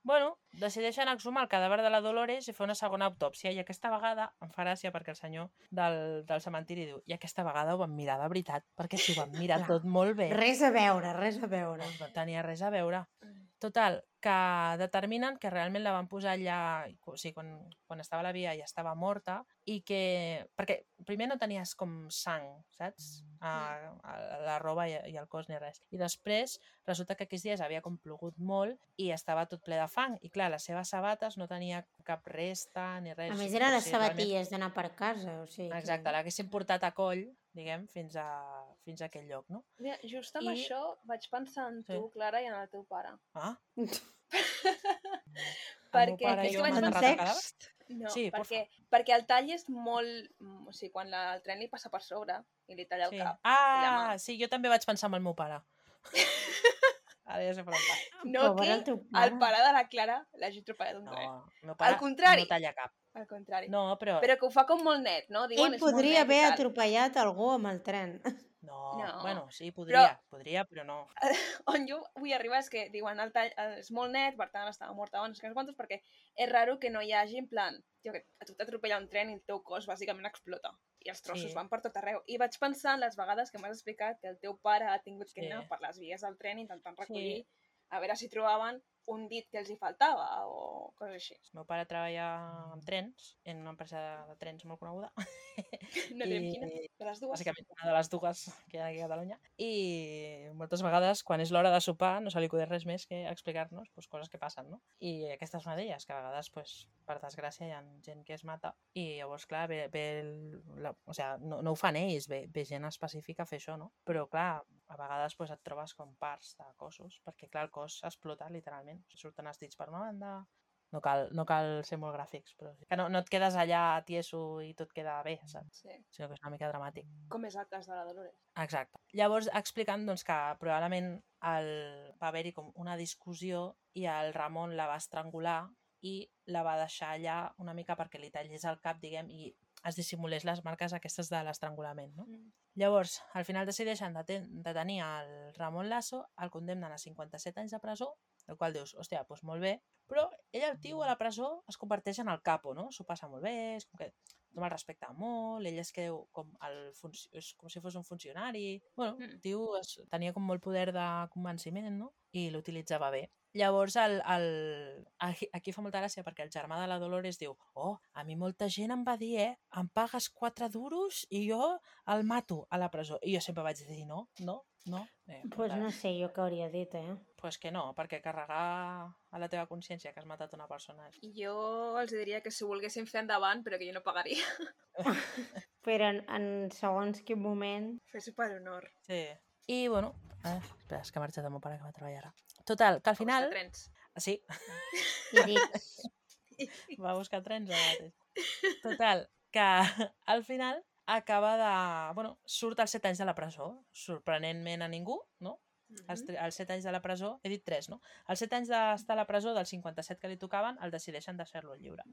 Bueno, decideixen exhumar el cadàver de la Dolores i fer una segona autòpsia, i aquesta vegada em fa gràcia perquè el senyor del cementiri diu, i aquesta vegada ho vam mirar de veritat, perquè si ho vam mirar
Clar.
tot molt bé,
Res a veure, res a veure.
no tenia res a veure. Total, que determinen que realment la van posar allà, o sigui, quan estava a la via ja estava morta, i que... Perquè primer no tenies com sang, saps? A la roba i al cos ni res. I després resulta que aquells dies havia com plogut molt i estava tot ple de fang. I clar, les seves sabates no tenia cap resta ni res.
A més, eren les
Potser realment-
sabatilles d'anar per casa, o sigui... que-
Exacte, l'haguessin portat a coll, diguem, fins a aquell lloc, no?
Mira, just amb
I-
això vaig pensar en tu,
Sí.
Clara, i en el teu pare.
Ah,
Perquè
pare i
és
jo
que vaig
hem
pensar...
enterrat el cadàver?
No,
Sí,
perquè el tall és molt... O sigui, quan el tren li passa per sobre i li talla el
sí.
cap.
Ah, sí, jo també vaig pensar amb el meu pare. Ara ja sé per on va.
No
Pobre
que
el teu
el
pare.
pare de la Clara l'hagi atropellat un tren.
No, el meu pare
Al contrari.
no talla cap.
Al contrari.
No, però...
Però que ho fa com molt net, no? Diuen
Ell
és molt
podria
net
haver
i tal.
atropellat algú amb el tren.
No,
No.
bueno, sí,
Però
podria, però no.
on jo vull arribar és que diuen el tall és molt net, per tant estava morta abans que no sé quantos, perquè és raro que no hi hagi en plan, que a tu t'atropella un tren i el teu cos bàsicament explota i els trossos
Sí.
van per tot arreu. I vaig pensar en les vegades que m'has explicat que el teu pare ha tingut que
Sí.
anar per les vies del tren intentant recollir, a veure si trobaven un dit que els hi faltava o coses així.
El meu pare treballa amb trens, en una empresa de trens molt coneguda.
No direm quina, de les dues.
Bàsicament una de les dues que hi ha aquí a Catalunya. I moltes vegades, quan és l'hora de sopar, no se li acudeix res més que explicar-nos pues, coses que passen, no? I aquesta és una d'elles, que a vegades, pues, per desgràcia, hi ha gent que es mata i llavors, clar, o sigui, no ho fan ells, ve gent específica a fer això, no? Però, clar, a vegades pues, et trobes com parts de cossos, perquè, clar, el cos explota, literalment. Surten els dits per una banda... No cal ser molt gràfics, però sí. Que no et quedes allà tieso i tot queda bé, saps?
Sí.
Sinó que és una mica dramàtic.
Com és el cas de la Dolores.
Exacte. Llavors, explicant doncs, que probablement va haver-hi com una discussió i el Ramon la va estrangular i la va deixar allà una mica perquè li tallés el cap, diguem, i es dissimulés les marques aquestes de l'estrangulament, no? Llavors, al final decideixen de tenir el Ramon Lasso, el condemnen a 57 anys de presó, el qual dius, hòstia, doncs molt bé, però ell, el tio, a la presó es converteix en el capo, no? S'ho passa molt bé, és com que tothom el respecta molt, ell es creu com és com si fos un funcionari. Bueno, el tio tenia com molt poder de convenciment, no? I l'utilitzava bé. Llavors, aquí fa molta gràcia perquè el germà de la Dolores diu a mi molta gent em va dir, em pagues 4 duros i jo el mato a la presó. I jo sempre vaig dir, no.
Pues no sé jo què hauria dit,
Pues que no, perquè carregar a la teva consciència que has matat una persona...
Jo els diria que si volguessin fer endavant, però que jo no pagaria.
Però en segons quin moment...
Fer-s'ho per honor.
Sí. I, bueno... espera, és que ha marxat el meu pare que va treballar ara. Total, que al final...
Va buscar trens.
Sí.
I dic...
Va buscar trens ara mateix. Total, que al final acaba de... Bueno, surt als 7 anys de la presó, sorprenentment a ningú, no? Els 7 anys de la presó, he dit 3, no? Els 7 anys d'estar a la presó, dels 57 que li tocaven, el decideixen deixar-lo lliure.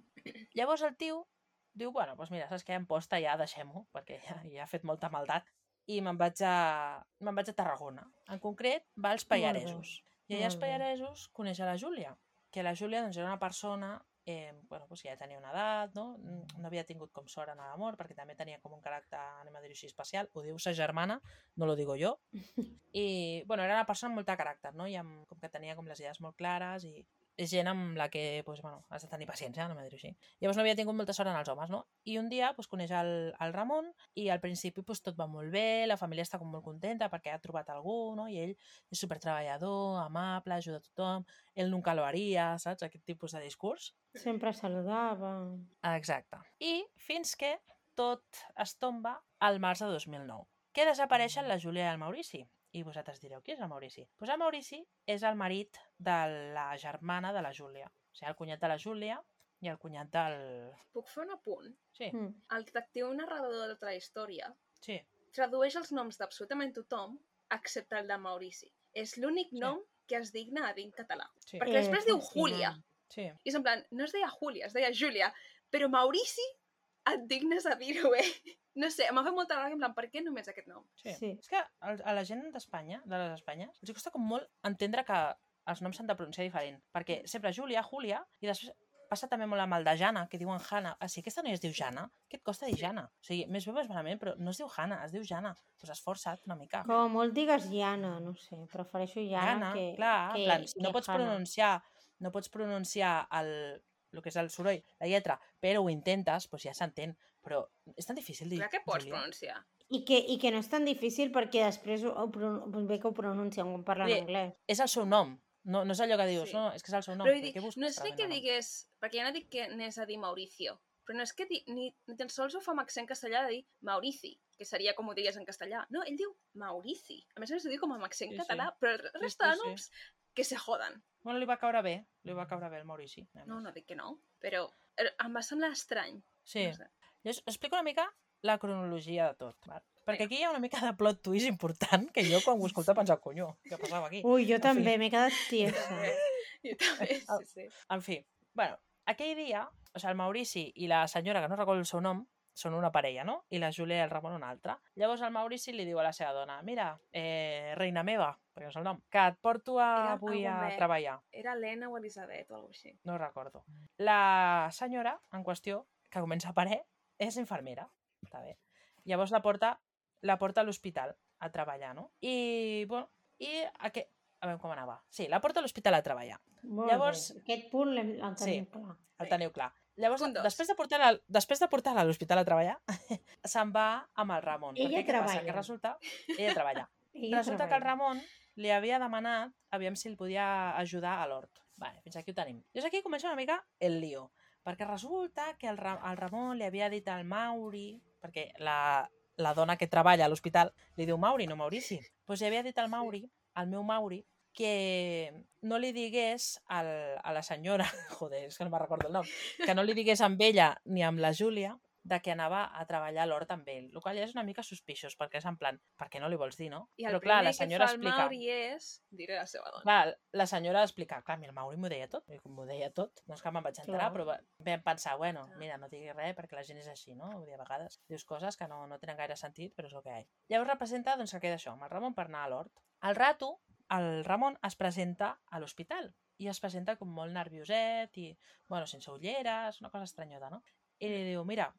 Llavors el tio diu, bueno, doncs mira, saps què? Em posta ja, deixem-ho, perquè ja ha fet molta maldat. I me'n vaig a Tarragona. En concret, va als Pallaresos. I allà als Pallaresos coneix a la Júlia, que la Júlia doncs, era una persona bueno, doncs ja tenia una edat, no? No havia tingut com sort en l'amor, perquè també tenia com un caràcter, anem a dir-ho així, especial. Ho diu sa germana, no lo digo jo. I, bueno, era una persona amb molt de caràcter, no? I com que tenia com les idees molt clares i és gent amb la que, doncs, bueno, has de tenir paciència, anem a dir-ho així. Llavors no havia tingut molta sort en els homes, no? I un dia doncs, coneix el Ramon i al principi doncs, tot va molt bé, la família està com molt contenta perquè ha trobat algú, no? I ell és supertreballador, amable, ajuda a tothom, ell nunca lo haria, saps? Aquest tipus de discurs.
Sempre saludava...
Exacte. I fins que tot es tomba al març de 2009, que desapareixen la Júlia i el Maurici. I vosaltres direu, qui és el Maurici? Doncs el Maurici és el marit de la germana de la Júlia. O sigui, el cunyat de la Júlia i el cunyat del...
Puc fer un apunt?
Sí.
El detectiu narrador de tota la història
tradueix
els noms d'absolutament tothom excepte el de Maurici. És l'únic nom que es digna a dir en català.
Sí.
Perquè després diu Júlia.
Sí.
I és en plan, no es deia Júlia, es deia Júlia. Però Maurici et dignes a dir-ho, No sé, m'ha fet molta gràcia, en plan, per què només aquest nom?
Sí. És que a la gent d'Espanya, de les Espanyes, els costa com molt entendre que els noms s'han de pronunciar diferent. Perquè sempre Júlia, Júlia, i després passa també molt amb el de Jana, que diuen Jana. Si aquesta noia es diu Jana, què et costa dir Jana? O sigui, més bé més malament, però no es diu Jana, es diu Jana. Doncs esforça't una mica.
Com a molt digues Jana, no sé, prefereixo Jana que...
clar,
que,
en plan, si
que
no pots pronunciar el que és el soroll, la lletra, però ho intentes, doncs ja s'entén. Però és tan difícil dir...
Clar que pots pronunciar.
I que no és tan difícil perquè després ve que ho pronuncien quan parlen anglès.
És el seu nom. No és allò que dius, no, és que és el seu nom.
Però no és ni que digués... Perquè ja no dic que anés a dir Mauricio, però no és que ni tan sols ho fa amb accent castellà de dir Maurici, que seria com ho diries en castellà. No, ell diu Maurici. A més ho diu com amb accent català, però el resta de noms que se joden.
Bueno, li va caure bé el Maurici.
No dic que no, però em va semblar estrany.
Sí. No sé. Jo explico una mica la cronologia de tot. Val? Perquè aquí hi ha una mica de plot twist important que jo quan ho escolto pensava, conyo, què passava aquí?
Ui, jo també, m'he quedat tiesa.
Jo també, sí.
En fi, bueno, aquell dia, o sigui, el Maurici i la senyora, que no recordo el seu nom, són una parella, no? I la Júlia i el Ramon una altra. Llavors el Maurici li diu a la seva dona, mira, reina meva, perquè no és el nom, que et porto avui a treballar.
Era Helena o Elisabet o alguna cosa així.
No recordo. La senyora en qüestió, que comença a parir, és infermera. Està bé. Llavors la porta a l'hospital a treballar, no? I, bueno, a veure com anava. Sí, la porta a l'hospital a treballar.
Llavors, aquest punt el teniu clar.
El teniu clar. Llavors, després de portar-la a l'hospital a treballar, se'n va amb el Ramon.
Ella treballa.
Que resulta que el Ramon li havia demanat aviam si el podia ajudar a l'hort. Vale, fins aquí ho tenim. Llavors aquí comença una mica el lío, perquè resulta que el Ramon li havia dit al Mauri, perquè la dona que treballa a l'hospital li diu Mauri, no Maurici. Doncs li havia dit al Mauri, al meu Mauri, que no li digués a la senyora, joder, és que no me'n recordo el nom, que no li digués amb ella ni amb la Júlia de que anava a treballar a l'hort amb ell, el qual ja és una mica suspiciós, perquè és en plan, per què no li vols dir, no?
I el
però clar,
primer
la senyora
que fa el Mauri és... Diré la seva dona.
Clar, la senyora explica, clar, el Mauri m'ho deia tot, i com m'ho deia tot, no és que me'n vaig enterar, però vam pensar, bueno, mira, no diguis res perquè la gent és així, no? Vull dir, a vegades dius coses que no tenen gaire sentit, però és el que hi ha. Llavors representa doncs, que queda això, amb el Ramon per anar a l'hort. Al rato, el Ramon es presenta a l'hospital i es presenta com molt nervioset i, bueno, sense ulleres, una cosa estranyota, no? I li diu, mira,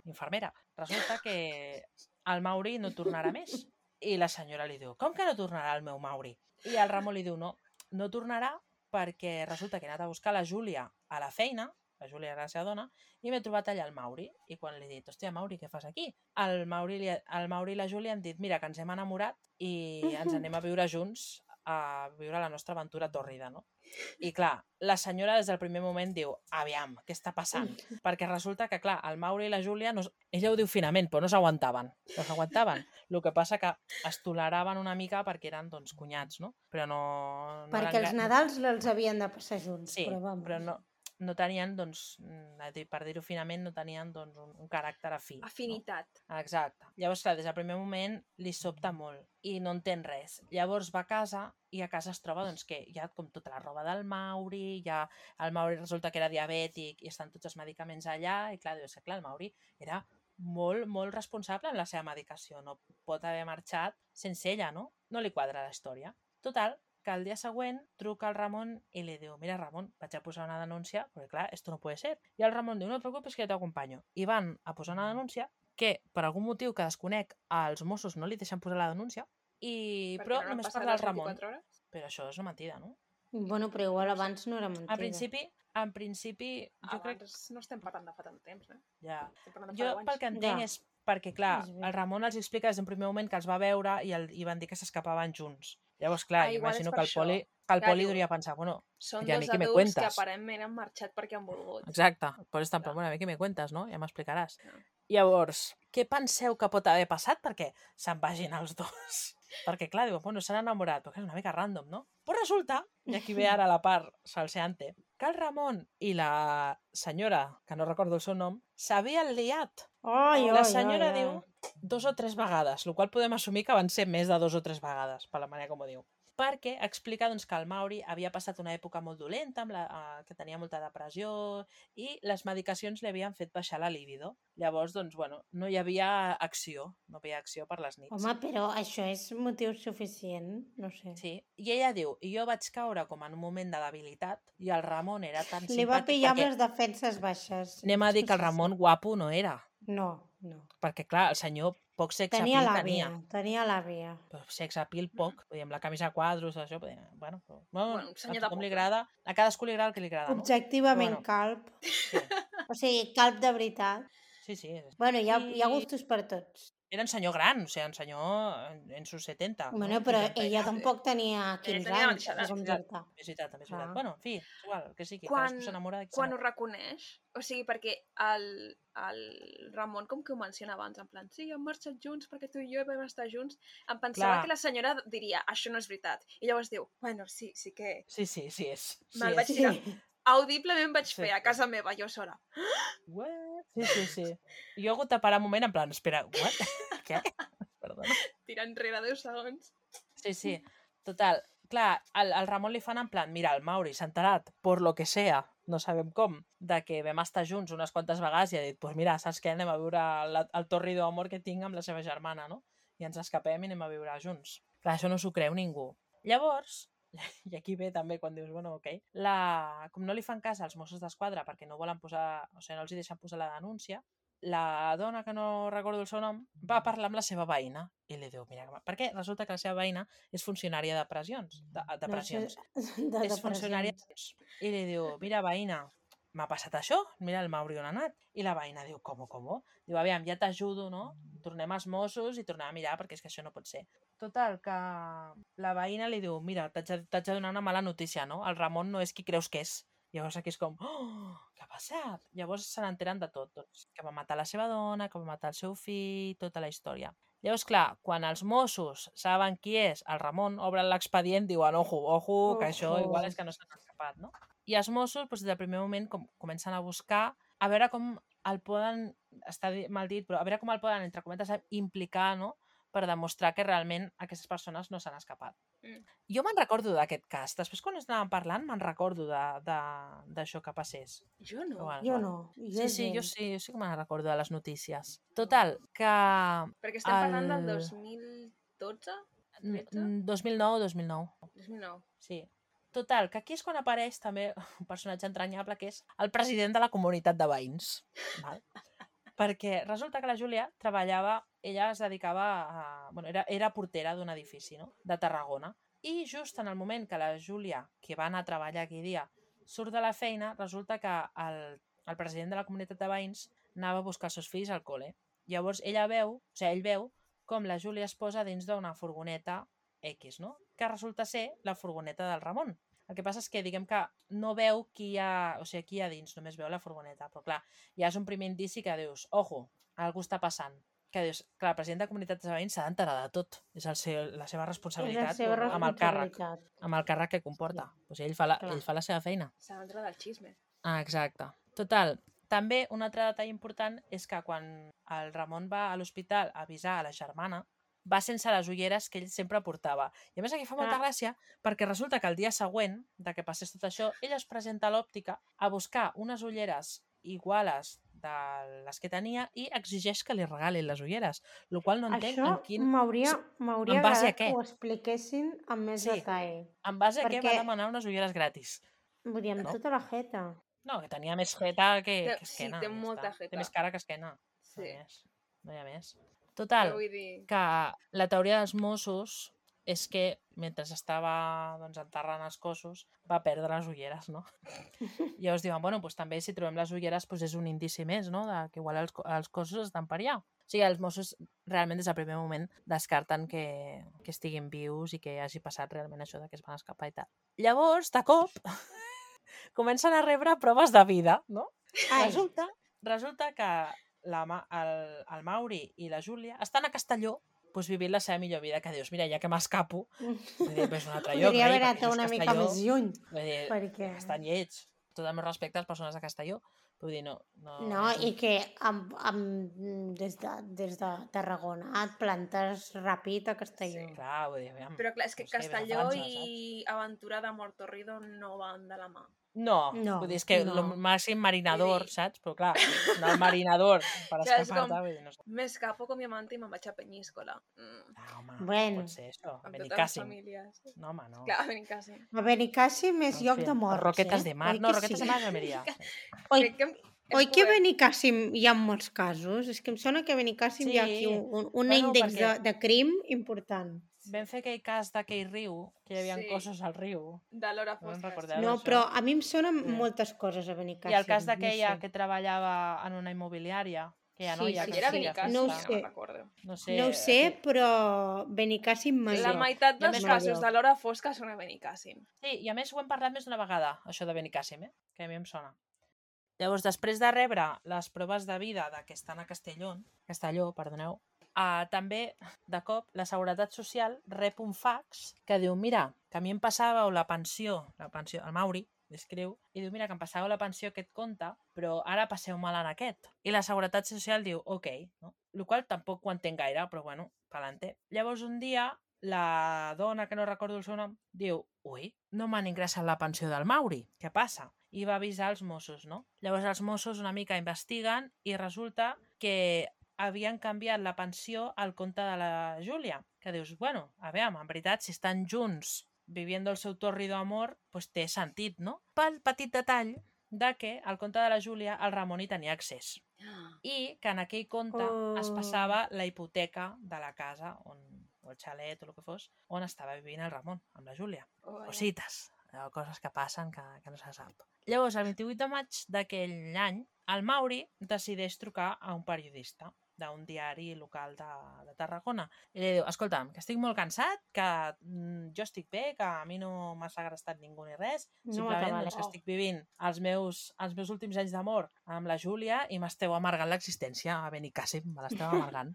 infermera, resulta que el Mauri no tornarà més. I la senyora li diu, com que no tornarà el meu Mauri? I el Ramon li diu, no tornarà perquè resulta que he anat a buscar la Júlia a la feina, la Júlia era la seva dona, i m'he trobat allà el Mauri. I quan li he dit, hòstia, Mauri, què fas aquí? El Mauri i la Júlia han dit, mira, que ens hem enamorat i ens anem a viure junts, a viure la nostra aventura tòrrida, no? I clar, la senyora des del primer moment diu, aviam, què està passant? Perquè resulta que, clar, el Mauri i la Júlia, ella ho diu finament, però no s'aguantaven. No s'aguantaven. El que passa que es toleraven una mica perquè eren, doncs, cunyats, no? Però no
perquè els Nadals els havien de passar junts.
Sí,
però
no tenien, doncs, per dir-ho finament, no tenien doncs, un caràcter afí.
Afinitat.
No? Exacte. Llavors, clar, des del primer moment li sobta molt i no entén res. Llavors va a casa i a casa es troba doncs, que hi ha com tota la roba del Mauri, el Mauri resulta que era diabètic i estan tots els medicaments allà i clar, dius que clar, el Mauri era molt, molt responsable en la seva medicació. No pot haver marxat sense ella, no? No li quadra la història. Total, que el dia següent truca al Ramon i li diu, mira Ramon, vaig a posar una denúncia, perquè clar, esto no puede ser. I el Ramon diu, no et preocupes que jo t'acompanyo. I van a posar una denúncia que, per algun motiu que desconec, als Mossos no li deixen posar la denúncia, però
no
només parla el Ramon. Però això és una mentida, no?
Bueno, però igual abans no era mentida.
En principi jo crec...
No estem parlant de fa tant temps, eh?
Ja. Jo pel que entenc és perquè, clar, el Ramon els explica des d'un primer moment que els va veure i van dir que s'escapaven junts. Llavors, clar, imagino que el Poli hauria pensar, bueno,
són
ja a mi
dos
que me
adults
cuentes.
que aparentment han marxat perquè han volgut.
Exacte, per estar en plan, bueno, a mi que me cuentes, no? Ja m'explicaràs. Llavors, què penseu que pot haver passat perquè se'n vagin els dos? Perquè, clar, diu, bueno, s'han enamorat, perquè és una mica random, no? Però resulta, i aquí ve ara la part salseante, que el Ramon i la senyora, que no recordo el seu nom, s'havien liat. La senyora diu 2 o 3 vegades, el qual podem assumir que van ser més de 2 o 3 vegades, per la manera com ho diu. Perquè explica doncs, que el Mauri havia passat una època molt dolenta, que tenia molta depressió, i les medicacions li havien fet baixar la libido. Llavors, doncs, bueno, no hi havia acció, per les nits.
Home, però això és motiu suficient, no sé.
Sí, i ella diu, i jo vaig caure com en un moment de debilitat, i el Ramon era tan simpàtic...
Li va pillar amb les defenses baixes.
Anem a dir que el Ramon guapo no era.
No.
Perquè, clar, el senyor poc sex
tenia
appeal tenia.
Tenia l'àvia.
Però sex appeal poc. Amb la camisa a quadros, això... Bueno,
un senyor de
poc li agrada. A cadascú li agrada el que li agrada, no?
Objectivament calb. Sí. O sigui, calb de veritat.
Sí.
Bueno, hi ha gustos per tots.
Era un senyor gran, o sigui, un senyor en sus 70.
Bueno, però ella tampoc tenia 15 anys.
És veritat. Bueno, en fi, és igual, que sí, que cadascú s'enamora de qui
quan ho reconeix, o sigui, perquè el Ramon, com que ho menciona abans, en plan, sí, hem marxat junts perquè tu i jo vam estar junts, em pensava que la senyora diria, això no és veritat. I llavors diu, bueno, sí que...
Sí, és.
Me'l vaig tirar. Audiblement vaig fer a casa meva, jo sola.
What? Sí. Jo he hagut de parar un moment en plan, espera, what? Què? Perdona.
Tira enrere 10 segons.
Sí. Total, clar, al Ramon li fan en plan, mira, el Mauri s'ha enterat, por lo que sea, no sabem com, de que vam estar junts unes quantes vegades i ha dit, pues mira, saps què? Anem a viure el torrido d'amor que tinc amb la seva germana, no? I ens escapem i anem a viure junts. Clar, això no s'ho creu ningú. Llavors, i aquí ve també quan dius, bueno, ok, com no li fan cas als Mossos d'Esquadra perquè no volen posar, o sigui, no els hi deixen posar la denúncia, la dona, que no recordo el seu nom, va parlar amb la seva veïna i li diu, mira, perquè resulta que la seva veïna és funcionària de pressions, és funcionària i li diu, mira, veïna, m'ha passat això, mira el Mauri on ha anat, i la veïna diu, com? Diu, aviam, ja t'ajudo, no? Tornem als Mossos i tornem a mirar perquè és que això no pot ser. Total, que la veïna li diu, mira, t'haig de donar una mala notícia, no? El Ramon no és qui creus que és. Llavors aquí és com, oh, què ha passat? Llavors se n'enteren de tot, doncs, que va matar la seva dona, que va matar el seu fill, tota la història. Llavors, clar, quan els Mossos saben qui és el Ramon, obren l'expedient, diuen, ojo, que això igual és que no s'han escapat, no? I els Mossos, doncs, des del primer moment, comencen a buscar, a veure com el poden, està mal dit, però a veure com el poden, entre cometes, implicar, no?, per demostrar que realment aquestes persones no s'han escapat. Jo me'n recordo d'aquest cas. Després, quan estàvem parlant, me'n recordo d'això que passés.
Jo no.
Bueno,
Jo no.
Sí, jo sí que me'n recordo de les notícies. Total, que...
Perquè estem parlant del 2012?
2009.
2009.
Sí. Total, que aquí és quan apareix també un personatge entranyable que és el president de la comunitat de veïns. Val? Perquè resulta que la Júlia treballava, ella es dedicava a... Bueno, era portera d'un edifici, no?, de Tarragona. I just en el moment que la Júlia, que va anar a treballar aquell dia, surt de la feina, resulta que el president de la comunitat de veïns anava a buscar els seus fills al col·le. Llavors ell veu com la Júlia es posa dins d'una furgoneta X, no?, que resulta ser la furgoneta del Ramon. El que passa és que, diguem que no veu qui hi ha dins, només veu la furgoneta. Però clar, ja és un primer indici que dius, ojo, algú està passant. Que dius, clar, el president de comunitat de veïns s'ha d'enterar de tot. És la seva responsabilitat amb el càrrec que comporta. Pues ell fa la seva feina.
S'ha d'entrar del xisme.
Exacte. Total, també un altre detall important és que quan el Ramon va a l'hospital a avisar a la germana, va sense les ulleres que ell sempre portava. I a més aquí fa molta gràcia perquè resulta que el dia següent de que passés tot això, ell es presenta a l'òptica a buscar unes ulleres iguales de les que tenia i exigeix que li regalin les ulleres, el qual no entenc en quin...
M'hauria agradat que ho expliquessin amb més detall.
En base a què va demanar unes ulleres gratis?
Vull dir, amb tota la jeta.
No, que tenia més jeta que esquena.
Sí, té molta jeta.
Té més cara que esquena.
Sí.
No hi ha més. Total, que la teoria dels Mossos és que mentre estava enterrant els cossos va perdre les ulleres, no? I llavors diuen, bueno, doncs també si trobem les ulleres és un indici més, no?, de que igual els cossos estan per allà. O sigui, els Mossos realment des del primer moment descarten que estiguin vius i que hagi passat realment això de que es van escapar i tal. Llavors, de cop, comencen a rebre proves de vida, no? Resulta que el Mauri i la Júlia estan a Castelló vivint la seva millor vida, que dius, mira, ja que m'escapo, és un altre lloc.
Podria haver anat una mica més lluny.
Perquè... Estan lleig. Tot el meu respecte a les persones de Castelló. Vull dir, no...
No, i que des de Tarragona et plantes ràpid a Castelló.
Sí, clar, vull dir, aviam.
Però clar, és que Castelló i Aventura de Mortorrido no van de la mà.
No, vull dir, és que el màxim marinador, saps? Però clar, el marinador per escapar-te, vull dir, no sé.
M'escapo con mi amante i me'n vaig a Penyíscola.
Home,
bueno,
pot ser això, a
Benicàssim.
No, home, no.
Clar, a Benicàssim.
A Benicàssim és lloc de morts,
Roquetes de mar, no, Roquetes de mar és Almeria.
Oi que a Benicàssim hi ha molts casos? És que em sona que a Benicàssim hi ha aquí un índex de crim important.
Vam fer aquell cas d'aquell riu, que hi havia cossos al riu.
De l'hora fosca.
No, però a mi em sonen moltes coses a Benicàssim.
I el cas d'aquella que treballava en una immobiliària, que ja no hi ha...
Sí, era Benicàssim,
no ho sé, però Benicàssim major.
La meitat dels casos de l'hora fosca són a Benicàssim.
Sí, i a més ho hem parlat més d'una vegada, això de Benicàssim, que a mi em sona. Llavors, després de rebre les proves de vida de que estan a Castelló, també, de cop, la Seguretat Social rep un fax que diu, mira, que a mi em passàveu la pensió, el Mauri, i diu, mira, que em passàveu la pensió aquest compte, però ara passeu-me-la en aquest. I la Seguretat Social diu, ok, no? El qual tampoc ho entenc gaire, però bueno, pa'lante. Llavors un dia la dona, que no recordo el seu nom, diu, ui, no m'han ingressat la pensió del Mauri, què passa? I va avisar els Mossos, no? Llavors els Mossos una mica investiguen i resulta que havien canviat la pensió al compte de la Júlia, que dius, bueno, a veure, en veritat, si estan junts viviendo el seu torrido amor, pues té sentit, no? Pel petit detall de que al compte de la Júlia el Ramon hi tenia accés i que en aquell compte es passava la hipoteca de la casa o el xalet o el que fos, on estava vivint el Ramon, amb la Júlia. Cosites, coses que passen que no se sap. Llavors, el 28 de maig d'aquell any, el Mauri decideix trucar a un periodista d'un diari local de Tarragona. I li diu, escolta'm, que estic molt cansat, que jo estic bé, que a mi no m'ha segrestat ningú ni res, simplement doncs, que estic vivint els meus últims anys d'amor amb la Júlia i m'esteu amargant l'existència a Benicàssim, me l'esteu amargant.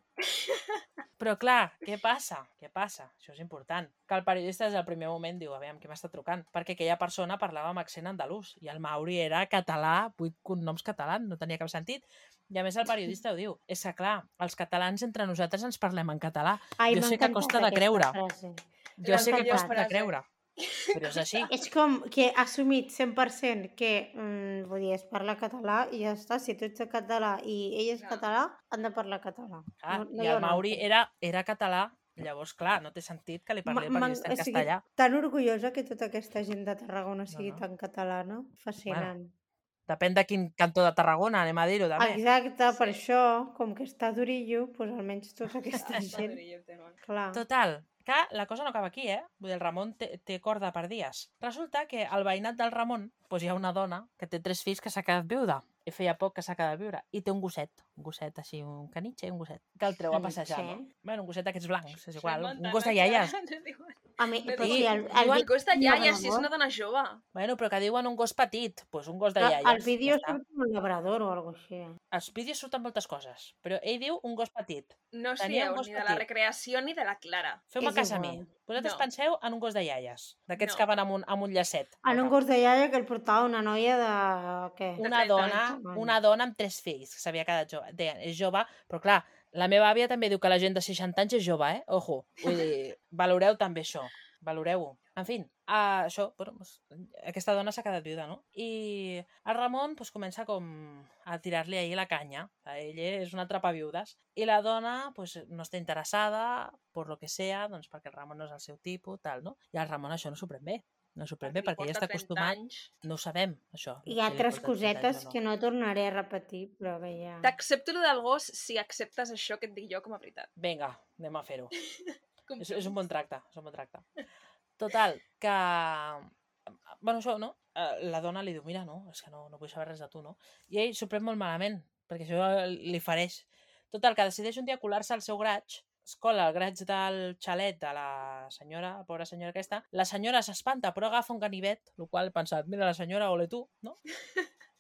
Però clar, què passa? Això és important. Que el periodista des del primer moment diu, a veure, qui m'està trucant? Perquè aquella persona parlava amb accent andalús i el Mauri era català, 8 cognoms catalans, no tenia cap sentit. I a més el periodista ho diu, és que clar, els catalans entre nosaltres ens parlem en català. Jo sé que costa de creure. Jo sé que costa de creure. Però és així.
És com que ha assumit 100% que vull dir, es parla català i ja està. Si tu ets català i ell és català, han de parlar català.
I el Mauri era català, llavors, clar, no té sentit que li parli el periodista en castellà.
Tan orgullosa que tota aquesta gent de Tarragona sigui tan catalana. Fascinant.
Depèn de quin cantó de Tarragona, anem a dir-ho, també.
Exacte, per això, com que està d'orillo, doncs almenys tota aquesta gent. Clar.
Total, que la cosa no acaba aquí, Vull dir, el Ramon té corda per dies. Resulta que al veïnat del Ramon hi ha una dona que té 3 fills que s'ha quedat viuda. I feia poc que s'ha quedat viure. I té un gosset així, un canitxe, un gosset, que el treu a passejar, no? Bueno, un gosset d'aquests blancs, és igual, un gos de iaies.
El gos de iaies, si és una dona jove.
Bueno, però que diuen un gos petit, doncs un gos de iaies.
Al vídeo surt un labrador o alguna cosa així.
Als vídeos surten moltes coses, però ell diu un gos petit.
No us fieu ni de la recreació ni de la Clara.
Feu-me cas a mi. Vosaltres penseu en un gos de iaies, d'aquests que van amb un llacet.
En un gos de iaia que el portava una noia de... què?
Una dona amb 3 fills, que s'havia quedat jove. És jove, però clar, la meva àvia també diu que la gent de 60 anys és jove, Ojo. Vull dir, valoreu també això. Valoreu-ho. En fi, això, aquesta dona s'ha quedat viuda, no? I el Ramon comença com a tirar-li ahir la canya. Ell és una atrapaviudes. I la dona no està interessada, per lo que sea, doncs perquè el Ramon no és el seu tipus, tal, no? I el Ramon això no s'ho pren bé. No s'ho pren bé perquè ja està acostumat. No ho sabem, això.
Hi ha 3 cosetes que no tornaré a repetir, però que ja...
T'accepto lo del gos si acceptes això que et dic jo com a veritat.
Vinga, anem a fer-ho. És un bon tracte, Total, que... Bueno, això, no? La dona li diu, mira, no, és que no vull saber res de tu, no? I ell s'ho pren molt malament, perquè això li fareix. Total, que decideix un dia colar-se al seu graig, es cola al graig del xalet de la senyora, la pobra senyora aquesta, la senyora s'espanta, però agafa un ganivet, el qual he pensat, mira, la senyora, ole tu, no?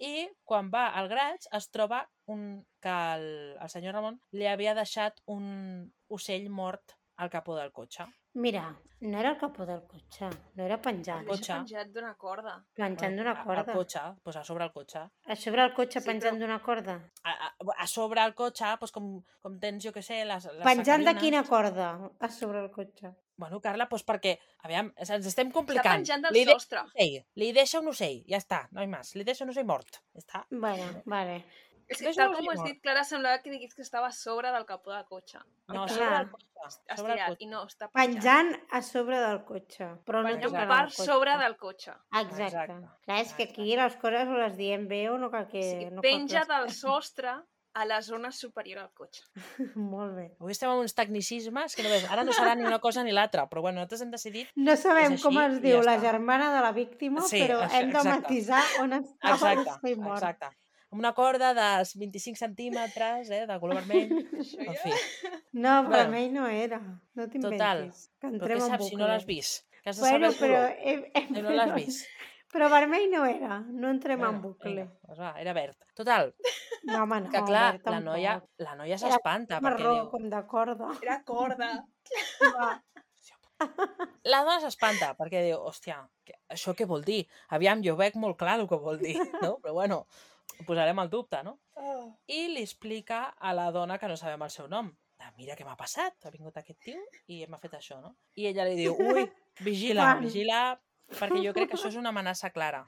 I quan va al graig es troba que el senyor Ramon li havia deixat un ocell mort al capó del cotxe.
Mira, no era el capó del cotxe, no era penjat.
Penjat d'una corda.
Penjant d'una corda.
Al cotxe, doncs a sobre el cotxe.
A sobre el cotxe penjant d'una corda?
A sobre el cotxe, doncs com tens, jo què sé, les
penjant de quina corda a sobre el cotxe?
Bueno, Carla, doncs perquè, aviam, ens estem complicant.
Està penjant del sostre.
Li deixa un ocell, ja està, no hi més. Li deixa un ocell mort, ja està.
Bueno, vale.
És que tal com ho has dit, Clara, semblava que diguis que estava a sobre del capó del cotxe.
No, sobre el cotxe.
Estirat, i no, està
penjant a sobre del cotxe. Però no
penjant per sobre del cotxe.
Exacte. Clar, és que aquí les coses o les diem bé o no cal que...
Penja del sostre a la zona superior al cotxe.
Molt bé.
Avui estem amb uns tecnicismes que no veus. Ara no serà ni una cosa ni l'altra, però bueno, nosaltres hem decidit...
No sabem com es diu la germana de la víctima, però hem de matisar on estava l'ocell mort.
Exacte. Una corda de 25 centímetres, de color vermell. En fi.
No, vermell no era. No t'inventis.
Total, però què saps si no l'has vist? Que has de
saber
el color.
Però
no l'has vist.
Però vermell no era. No entrem en bucle.
Doncs va, era verd. Total.
No, home, no.
Que clar, la noia s'espanta.
Era marró, com de corda.
Era corda.
La dona s'espanta perquè diu, hòstia, això què vol dir? Aviam, jo veig molt clar el que vol dir, no? Però bueno, ho posarem al dubte, no? I li explica a la dona que no sabem el seu nom. Mira què m'ha passat, ha vingut aquest tio i m'ha fet això, no? I ella li diu, ui, vigila, perquè jo crec que això és una amenaça clara.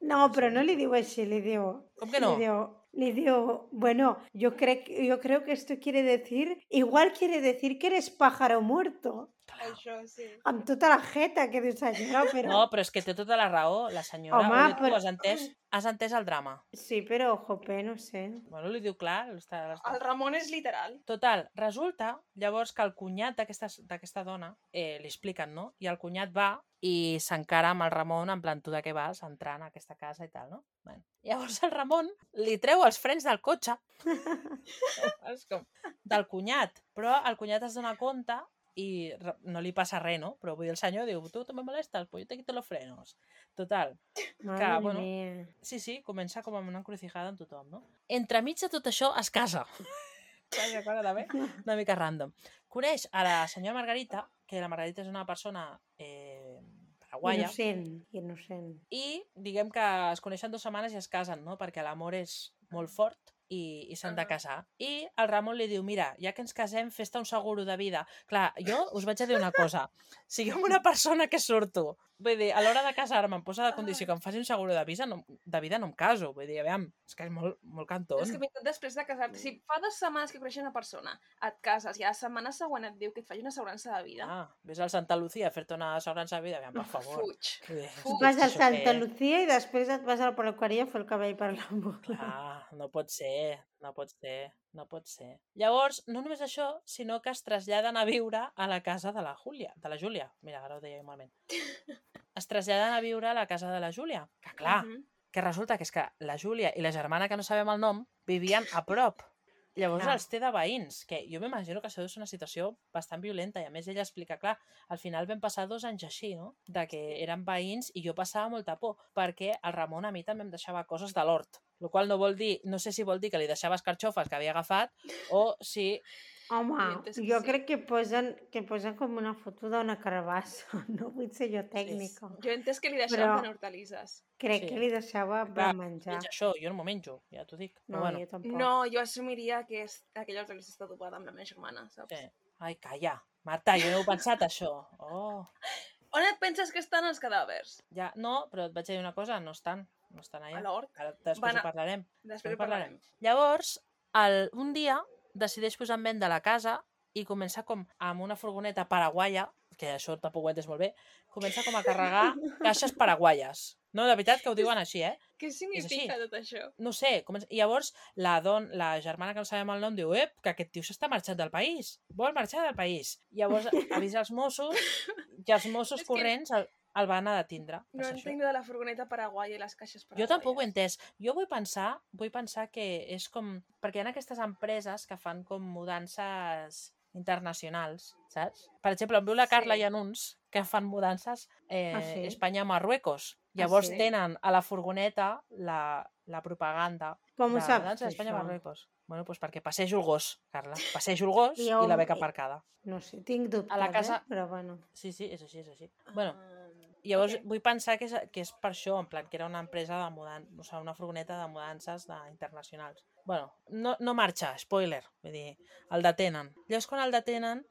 No, però no li diu així, li diu...
Com que no?
Le digo, bueno, yo creo que esto quiere decir, igual quiere decir que eres pájaro muerto.
Això, sí.
Amb tota la jeta que dius allò, però...
No, però és que té tota la raó, la senyora.
Home,
Tu has entès el drama.
Sí, però, jope, no sé.
Bueno, li diu clar.
El Ramon és literal.
Total, resulta llavors que el cunyat d'aquesta dona li expliquen, no? I el cunyat va i s'encara amb el Ramon en plan, tu de què vas entrant a aquesta casa i tal, no? Bueno. Llavors el Ramon li treu els frens del cotxe és com del cunyat, però el cunyat es dona compte i no li passa res, no? Però vull dir, el senyor diu, tu me molestes, pues yo te quito los frenos. Total. Que, bueno, sí, comença com amb una encrucijada amb tothom, no? Entremig de tot això es casa. Vaja cosa també, una mica random. Coneix a la senyora Margarita, que la Margarita és una persona paraguaia.
Innocent.
I diguem que es coneixen 2 setmanes i es casen, no? Perquè l'amor és molt fort i s'han de casar. I el Ramon li diu, mira, ja que ens casem, fes-te un seguro de vida. Clar, jo us vaig a dir una cosa. Si jo amb una persona que surto, vull dir, a l'hora de casar-me em posa de condició que em faci un seguro de vida, no em caso. Vull dir, aviam, és que és molt cantón.
És que després de casar-te, si fa 2 setmanes que coneixes una persona, et cases i a la setmana següent et diu que et faci una assegurança de vida...
Ves al Santa Lucía a fer-te una assegurança de vida, aviam, per favor.
Fuig. Vas al Santa Lucía i després et vas a la peluqueria a fer el cabell per l'amor.
No pot ser. Llavors, no només això, sinó que es traslladen a viure a la casa de la Júlia. Mira, ara ho deia malament. Es traslladen a viure a la casa de la Júlia. Que clar, que resulta que és que la Júlia i la germana que no sabem el nom vivien a prop. Llavors els té de veïns, que jo m'imagino que això és una situació bastant violenta i a més ella explica, clar, al final vam passar 2 anys així, no? De que eren veïns i jo passava molta por, perquè el Ramon a mi també em deixava coses de l'hort, el qual no vol dir, no sé si vol dir que li deixava escarxofes que havia agafat o si...
Home, jo crec que posen com una foto d'una carbassa, no vull ser jo tècnica.
Sí. Jo he entès que li deixaven hortalisses.
Crec que li deixava per menjar.
Això, jo no m'ho menjo, ja t'ho dic.
No, jo tampoc.
No, jo assumiria que aquella hortalissa està adobada amb la meva germana, saps?
Sí. Ai, calla. Marta, jo no he pensat això.
On et penses que estan els cadàvers?
Ja, no, però et vaig dir una cosa, no estan allà.
A l'hort?
Després ho parlarem.
Després ho parlarem.
Llavors, un dia decideix posar en venda la casa i comença com amb una furgoneta paraguaia, que això tampoc ho entes molt bé, comença com a carregar caixes paraguaies. No, de veritat que ho diuen així, eh?
Què significa tot això?
No sé. I llavors la germana que no sabem el nom diu que aquest tio s'està marxant del país. Vol marxar del país. Llavors avisa els Mossos i els Mossos corrents el van a detindre.
No entenc de la furgoneta paraguaia i les caixes paraguaies.
Jo tampoc ho he entès. Jo vull pensar que és com... Perquè hi ha aquestes empreses que fan com mudances internacionals, saps? Per exemple, amb la Carla hi ha uns que fan mudances Espanya-Marruecos. Llavors tenen a la furgoneta la propaganda
de
mudança d'Espanya-Marruecos. Bueno, doncs perquè passejo el gos, Carla. Passejo el gos i la beca aparcada.
No sé, tinc dubtes,
a la casa...
però bueno.
Sí, és així. Bueno, llavors vull pensar que és per això, en plan, que era una empresa de mudances, o sigui, una furgoneta de mudances internacionals. Bueno, no marxa, spoiler, vull dir, el detenen. Llavors, quan el detenen,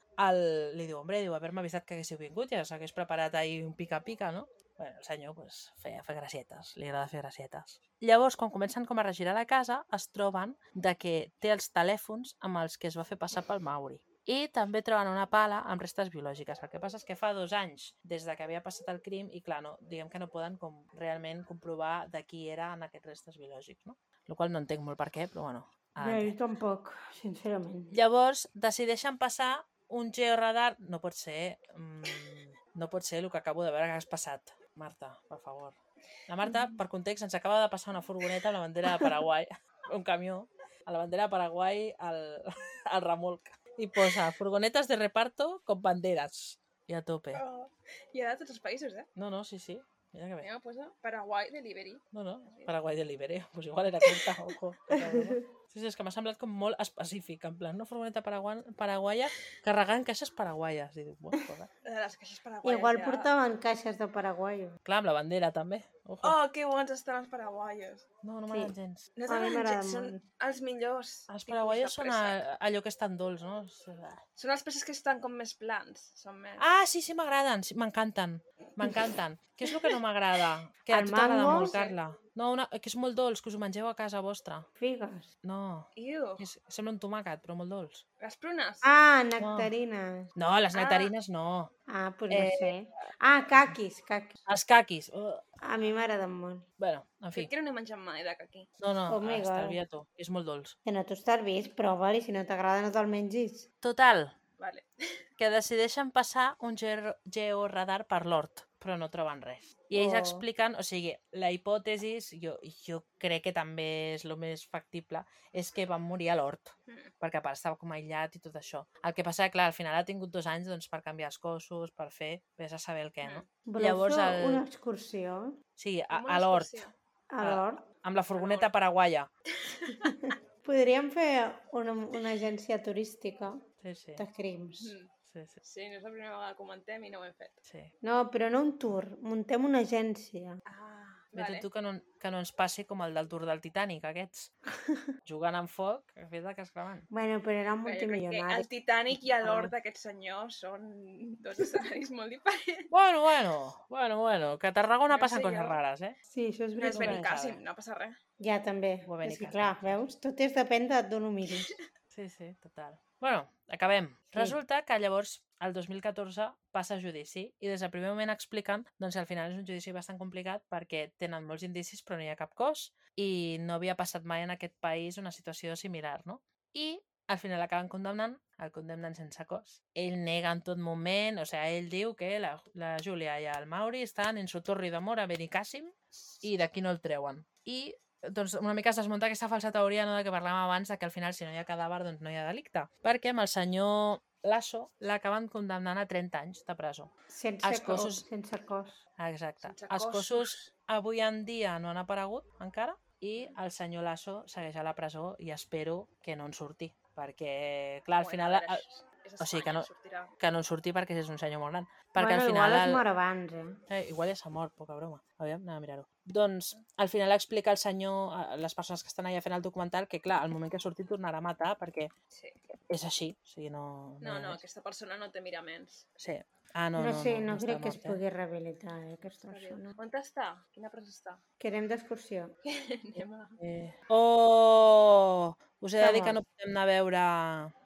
li diu, haver-me avisat que haguéssiu vingut, ja s'hagués preparat ahir un pica-pica, no? Bueno, el senyor feia gracietes, li agrada fer gracietes. Llavors, quan comencen com a regirar la casa, es troben que té els telèfons amb els que es va fer passar pel Mauri. I també troben una pala amb restes biològiques. El que passa és que fa 2 anys des de que havia passat el crim i, clar, diguem que no poden realment comprovar de qui eren aquests restes biològics, no? El qual no entenc molt per què, però bueno.
Jo tampoc, sincerament.
Llavors, decideixen passar un georadar... No pot ser el que acabo de veure que has passat. Marta, per favor. La Marta, per context, ens acaba de passar una furgoneta amb la bandera de Paraguai, un camió, a la bandera de Paraguai al remolc. I posa furgonetes de reparto con banderas. I a tope.
I a tots els països, eh?
No, sí. Mira que bé.
Posa Paraguai Delivery.
No, Paraguai Delivery. Pues igual era aquesta, ojo. Sí, és que m'ha semblat com molt específic, en plan, una furgoneta paraguaia carregant caixes paraguaies. I dic, bueno, pues,
Les caixes paraguaies
Igual
ja...
portaven caixes de paraguaio.
clar, amb la bandera també. Ojo.
Oh, que bons estan els paraguaios.
No
Sí.
m'agraden gens.
No
A mi
t'agraden
m'agraden
gens, són
molt.
els millors.
Els
tipus
paraguaios
de
són
préssec.
allò que estan dolç, no?
Són els préssics que estan com més plans. Són més...
Ah, sí, m'agraden, sí, m'encanten. M'encanten. Què és el que no m'agrada? Que a
El
tu t'agrada
mango?
molt, Carla. No, que és molt dolç, que us ho mengeu a casa vostra.
Figues.
No,
Iu,
sembla un tomàquet, però molt dolç.
les prunes.
Ah, nectarines.
No, les nectarines no.
Ah, doncs no sé. Ah, caquis.
Els caquis.
A mi m'agraden molt.
Bueno, en fi.
Crec que no n'he menjat mai de caqui.
No,
Oh my God.
estalvia-t'ho. És molt dolç.
Que no t'ho estalvis, prova-li. Si no t'agrada, no te'l mengis.
Total,
Vale.
que decideixen passar un georadar per l'hort, però no troben res. I ells
Oh.
expliquen, o sigui, la hipòtesi, jo crec que també és el més factible, és que van morir a l'hort, perquè a part estava com aïllat i tot això. El que passa, clar, al final ha tingut 2 anys doncs, per canviar els cossos, per fer, vés a saber el què, no?
Voleu
Llavors,
fer una excursió
Sí,
Com una
a l'hort,
excursió.
a l'hort?
amb la furgoneta paraguaia.
Podríem fer una agència turística
Sí.
de crims.
Sí.
Sí, no és la primera vegada que ho comentem i no ho hem fet.
Sí.
No, però no un tour. Muntem una agència.
Ah,
Vale.
vale.
Tu que no ens passi com el del Tour del Titanic, aquests. Jugant amb foc, a fet de que es cremant.
Bueno, però eren
Jo crec que
multimilionaris.
el Titanic i l'hort d'aquest senyor són dos escenaris molt diferents.
Bueno, que a Tarragona
No
passen
sé
coses
jo.
rares, eh?
Sí, això és
No és
veritat.
Benicàssim, no passa res.
Ja, també.
Ho va
És que,
Benicàssim.
clar, veus? Tot depèn d'on ho miris.
Sí, total. Bueno, acabem. Resulta que llavors, el 2014, passa a judici i des del primer moment expliquen doncs, que al final és un judici bastant complicat perquè tenen molts indicis però no hi ha cap cos i no havia passat mai en aquest país una situació similar, no? I al final acaben condemnant, el condemnen sense cos. Ell nega en tot moment, o sigui, ell diu que la Júlia i el Mauri estan en su torre d'amor a Benicàssim i d'aquí no el treuen. I doncs una mica es desmunta aquesta falsa teoria, no, de que parlàvem abans, de que al final si no hi ha cadàver doncs no hi ha delicte. Perquè amb el senyor Lasso l'acaben condemnant a 30 anys de presó. Els cossos-
Sense cos.
Exacte.
Sense
Els
cossos.
cossos avui en dia no han aparegut encara i el senyor Lasso segueix a la presó i espero que no en surti. Perquè, clar, al final...
a veure, és
o sigui que
Espanya,
no-
sortirà.
Que no en surti perquè és un senyor molt gran. Perquè
Bueno,
al final...
igual es mor abans,
igual ja s'ha mort, poca broma. Aviam, anem a mirar-ho. Doncs, al final explica el senyor, a les persones que estan allà fent el documental, que clar, al moment que surti tornarà a matar perquè
Sí.
és així. O sigui, no...
No, aquesta persona no té miraments.
Sí. Ah, no,
No sé, no
està
crec que es
mort, eh?
pugui rehabilitar, aquesta persona.
On està? Quina presó està?
Que anem d'excursió.
Anem a...
Oh! Us he de
Està
dir que no
mort.
podem anar a veure...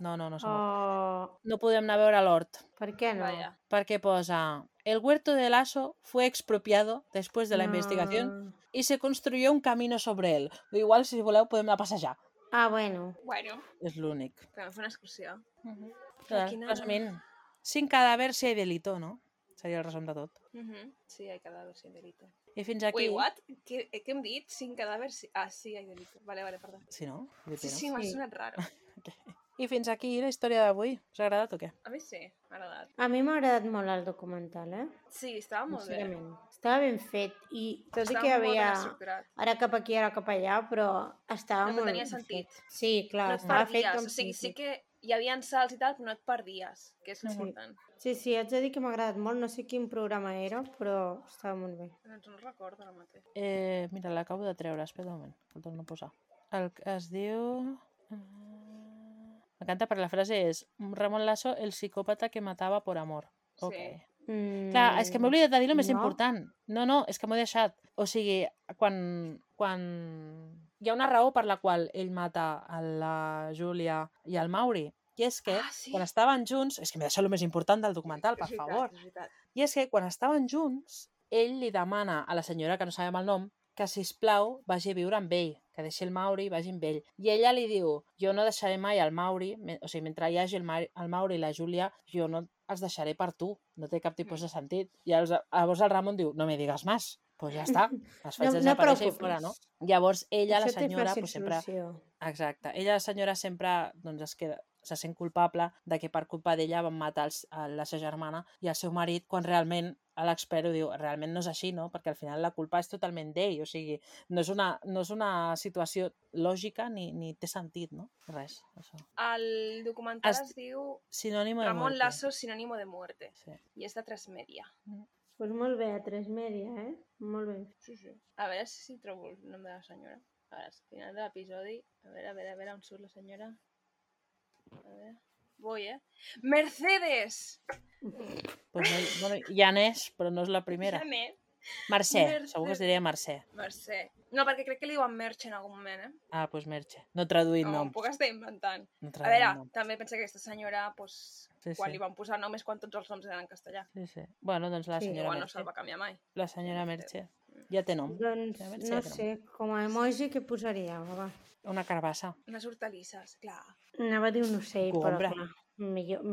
No s'ha mort.
Oh,
No podem anar a veure l'hort.
per què no?
Vaya.
Perquè posa... El huerto de Lasso fue expropiado después de la investigación y se construyó un camino sobre él. O igual, si voleu, podem anar a passejar.
Ah, bueno.
Bueno,
És l'únic.
podem fer una excursió.
Quina... Resumint, sin cadáver si hay delito, no? Seria el resum de tot.
Sí, hay cadáver sin delito.
I fins aquí...
Wait, what? Què hem dit? Sin cadáver... Ah, sí, hay delito. Vale, perdó.
Sí, no?
Sí, m'ha
Sí.
sonat raro.
I fins aquí la història d'avui. Us ha agradat o què?
A mi sí, m'ha agradat.
A mi m'ha agradat molt el documental,
Sí, estava molt bé.
Sincerament. Estava ben fet i tot i
Estava
que hi
molt ben
havia
estructurat.
ara cap aquí, ara cap allà, però estava
No, però
molt
tenia
ben
sentit.
fet. Sí, clar,
No et
estava fet
perdies.
com
O sigui, sí
sentit.
que hi havia salts i tal, però no et perdies, que és l'important.
Sí, haig de dir que m'ha agradat molt. No sé quin programa era, però estava molt bé.
Doncs no recordo ara mateix.
Mira, l'acabo de treure. Espera un moment, que el torno a posar. El que es diu... M'encanta perquè la frase és Ramon Lasso, el psicòpata que matava por amor. Ok.
Sí.
Clar, és que m'he oblidat de dir el més
no.
important. No, és que m'ho he deixat. O sigui, quan hi ha una raó per la qual ell mata a la Júlia i al Mauri, i és que
Sí.
quan estaven junts, és que m'he deixat el més important del documental, per
És veritat,
favor,
és veritat.
i és que quan estaven junts, ell li demana a la senyora, que no sabem el nom, que, sisplau, vagi a viure amb ell, que deixi el Mauri i vagi amb ell. I ella li diu, jo no deixaré mai el Mauri, o sigui, mentre hi hagi el Mauri i la Júlia, jo no els deixaré per tu, no té cap tipus de sentit. I llavors el Ramon diu, no me digas más, pues ja està, es faig
No
desaparèixer i
preocupis.
fora, no? Llavors ella, la
Això té
senyora,
fàcil
pues, sempre...
solució.
Exacte. Ella, la senyora, sempre doncs, se sent culpable de que per culpa d'ella van matar la seva germana i el seu marit, quan realment l'expert ho diu, realment no és així, no? Perquè al final la culpa és totalment d'ell, o sigui, no és una situació lògica ni té sentit, no? Res, això.
El documental es diu
Sinònimo de
Ramon
muerte.
Lasso, sinònimo de muerte.
Sí.
I és de 3 Media.
Pues molt bé, a 3 Media, Molt bé.
Sí. A veure si trobo el nom de la senyora. A veure, al final de l'episodi. A veure, on surt la senyora. A veure... Voy, Mercedes!
Pues no, bueno, ja n'és, però no és la primera.
Ja n'és.
Mercè,
Mercè.
segur que es diria Mercè.
Mercè. No, perquè crec que li diuen Merche en algun moment,
Ah, doncs Merche. No traduït
No,
noms.
puc estar inventant.
No
A
traduït
veure,
noms.
també pensa que aquesta senyora, pues,
Sí,
quan
sí.
li van posar nom és quan tots els noms eren en castellà.
Sí. Bueno, doncs la
Sí.
senyora
Igual no
Merche.
se'l va canviar mai.
La senyora Merche. Ja té nom.
Doncs
La Merche
no
ja té nom.
sé, com a emoji què posaria? Va.
Una carbassa.
Unes hortalisses, clar.
Anava a dir un ocell, però
Gombra.
clar. Millor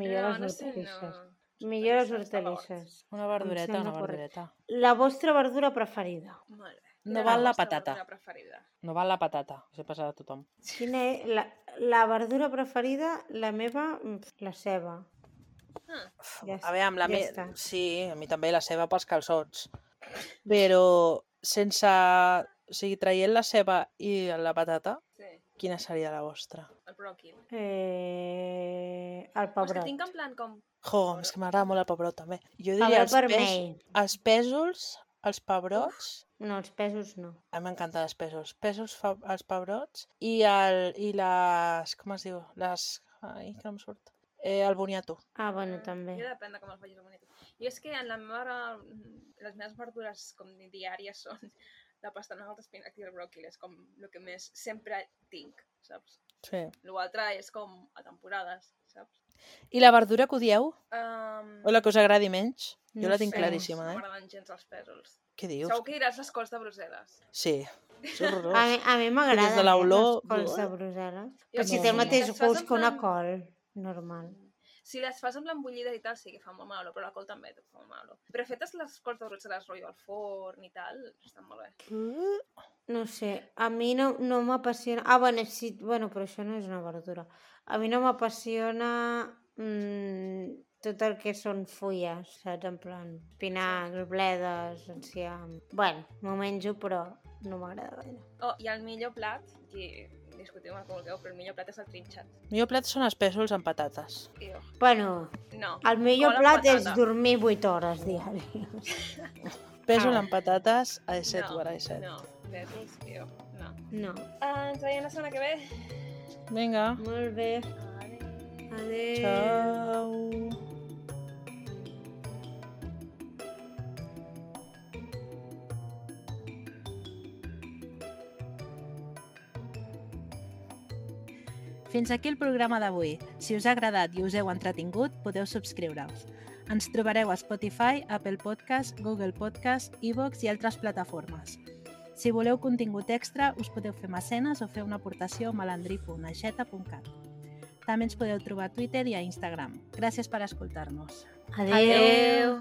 les hortalisses.
no.
Millor les
Hortalisses de
hortalisses.
Una verdureta,
sembla
una
correcte.
verdureta.
La vostra verdura preferida?
Molt bé.
No
Quina és
val la
vostra
patata.
verdura preferida?
No val la patata, se passa a tothom.
Quina és la verdura preferida? La meva, la ceba. Ja
A veure, amb la
ja
me...
està.
Sí, a mi també la ceba pels calçots. Però sense... O sigui, traient la ceba i la patata,
Sí,
quina seria la vostra?
el bròquil.
El
Però és que
pebrot.
tinc en plan com...
Jo, és que m'agrada molt el pebrot també. Jo diria
Pebrot vermell.
els pèsols, els pebrots...
No, els pesos no.
A mi m'encanten els pèsols. Pèsols, els pebrots i les... Com es diu? Les... Ai, que no em surt. El boniato.
Ah, bueno, també.
Jo depèn de com el facis el bonito. Jo és que en la meva... Les meves verdures com diàries són la pastanaga, el espinac i el bròquil. És com el que més sempre tinc, saps?
Sí.
L'altre és com a temporades, saps?
I la verdura que odieu? O la que us agradi menys? Jo
No
la tinc
sé.
claríssima,
No
eh?
m'agraden gens els pèsols.
Què dius?
Segur que diràs les cols de Brussel·les.
Sí, és horrorós.
A mi m'agraden
Des de l'olor-
les cols de Brussel·les.
Jo
Però si
sí,
té el
sí.
mateix
Les fas
gust
en
que una
plan-
col, normal.
Si les fas amb l'embullides i tal, sí que fa molt mal olor, però la col també fa molt mal olor. Però fetes les cols de Brussel·les, rotllo al forn i tal, estan molt bé.
No sé, a mi no m'apassiona... Ah, bueno, sí, però això no és una verdura. A mi no m'apassiona tot el que són fulles, saps? En plan, espinacs, bledes, enciam... Bueno, m'ho menjo, però no m'agrada gaire.
Oh, i el millor plat, que discutim el que vulgueu, però el millor plat és el trinxat.
El millor plat són els pèsols amb patates.
I jo,
Bueno,
no.
el millor
Col amb
plat és
patata.
dormir 8 hores diàries.
Pèsol
Ah.
amb patates a de 7
no,
o a de 7.
No, pèsols, jo, no.
No.
Ens veiem la setmana que ve.
Vinga.
Molt bé. Adéu.
Ciao. Fins aquí el programa d'avui. Si us ha agradat i us heu entretingut, podeu subscriure-us. Ens trobareu a Spotify, Apple Podcast, Google Podcast, iVoox i altres plataformes. Si voleu contingut extra, us podeu fer mecenes o fer una aportació a malandrí.aixeta.cat. També ens podeu trobar a Twitter i a Instagram. Gràcies per escoltar-nos.
Adéu.
Adéu.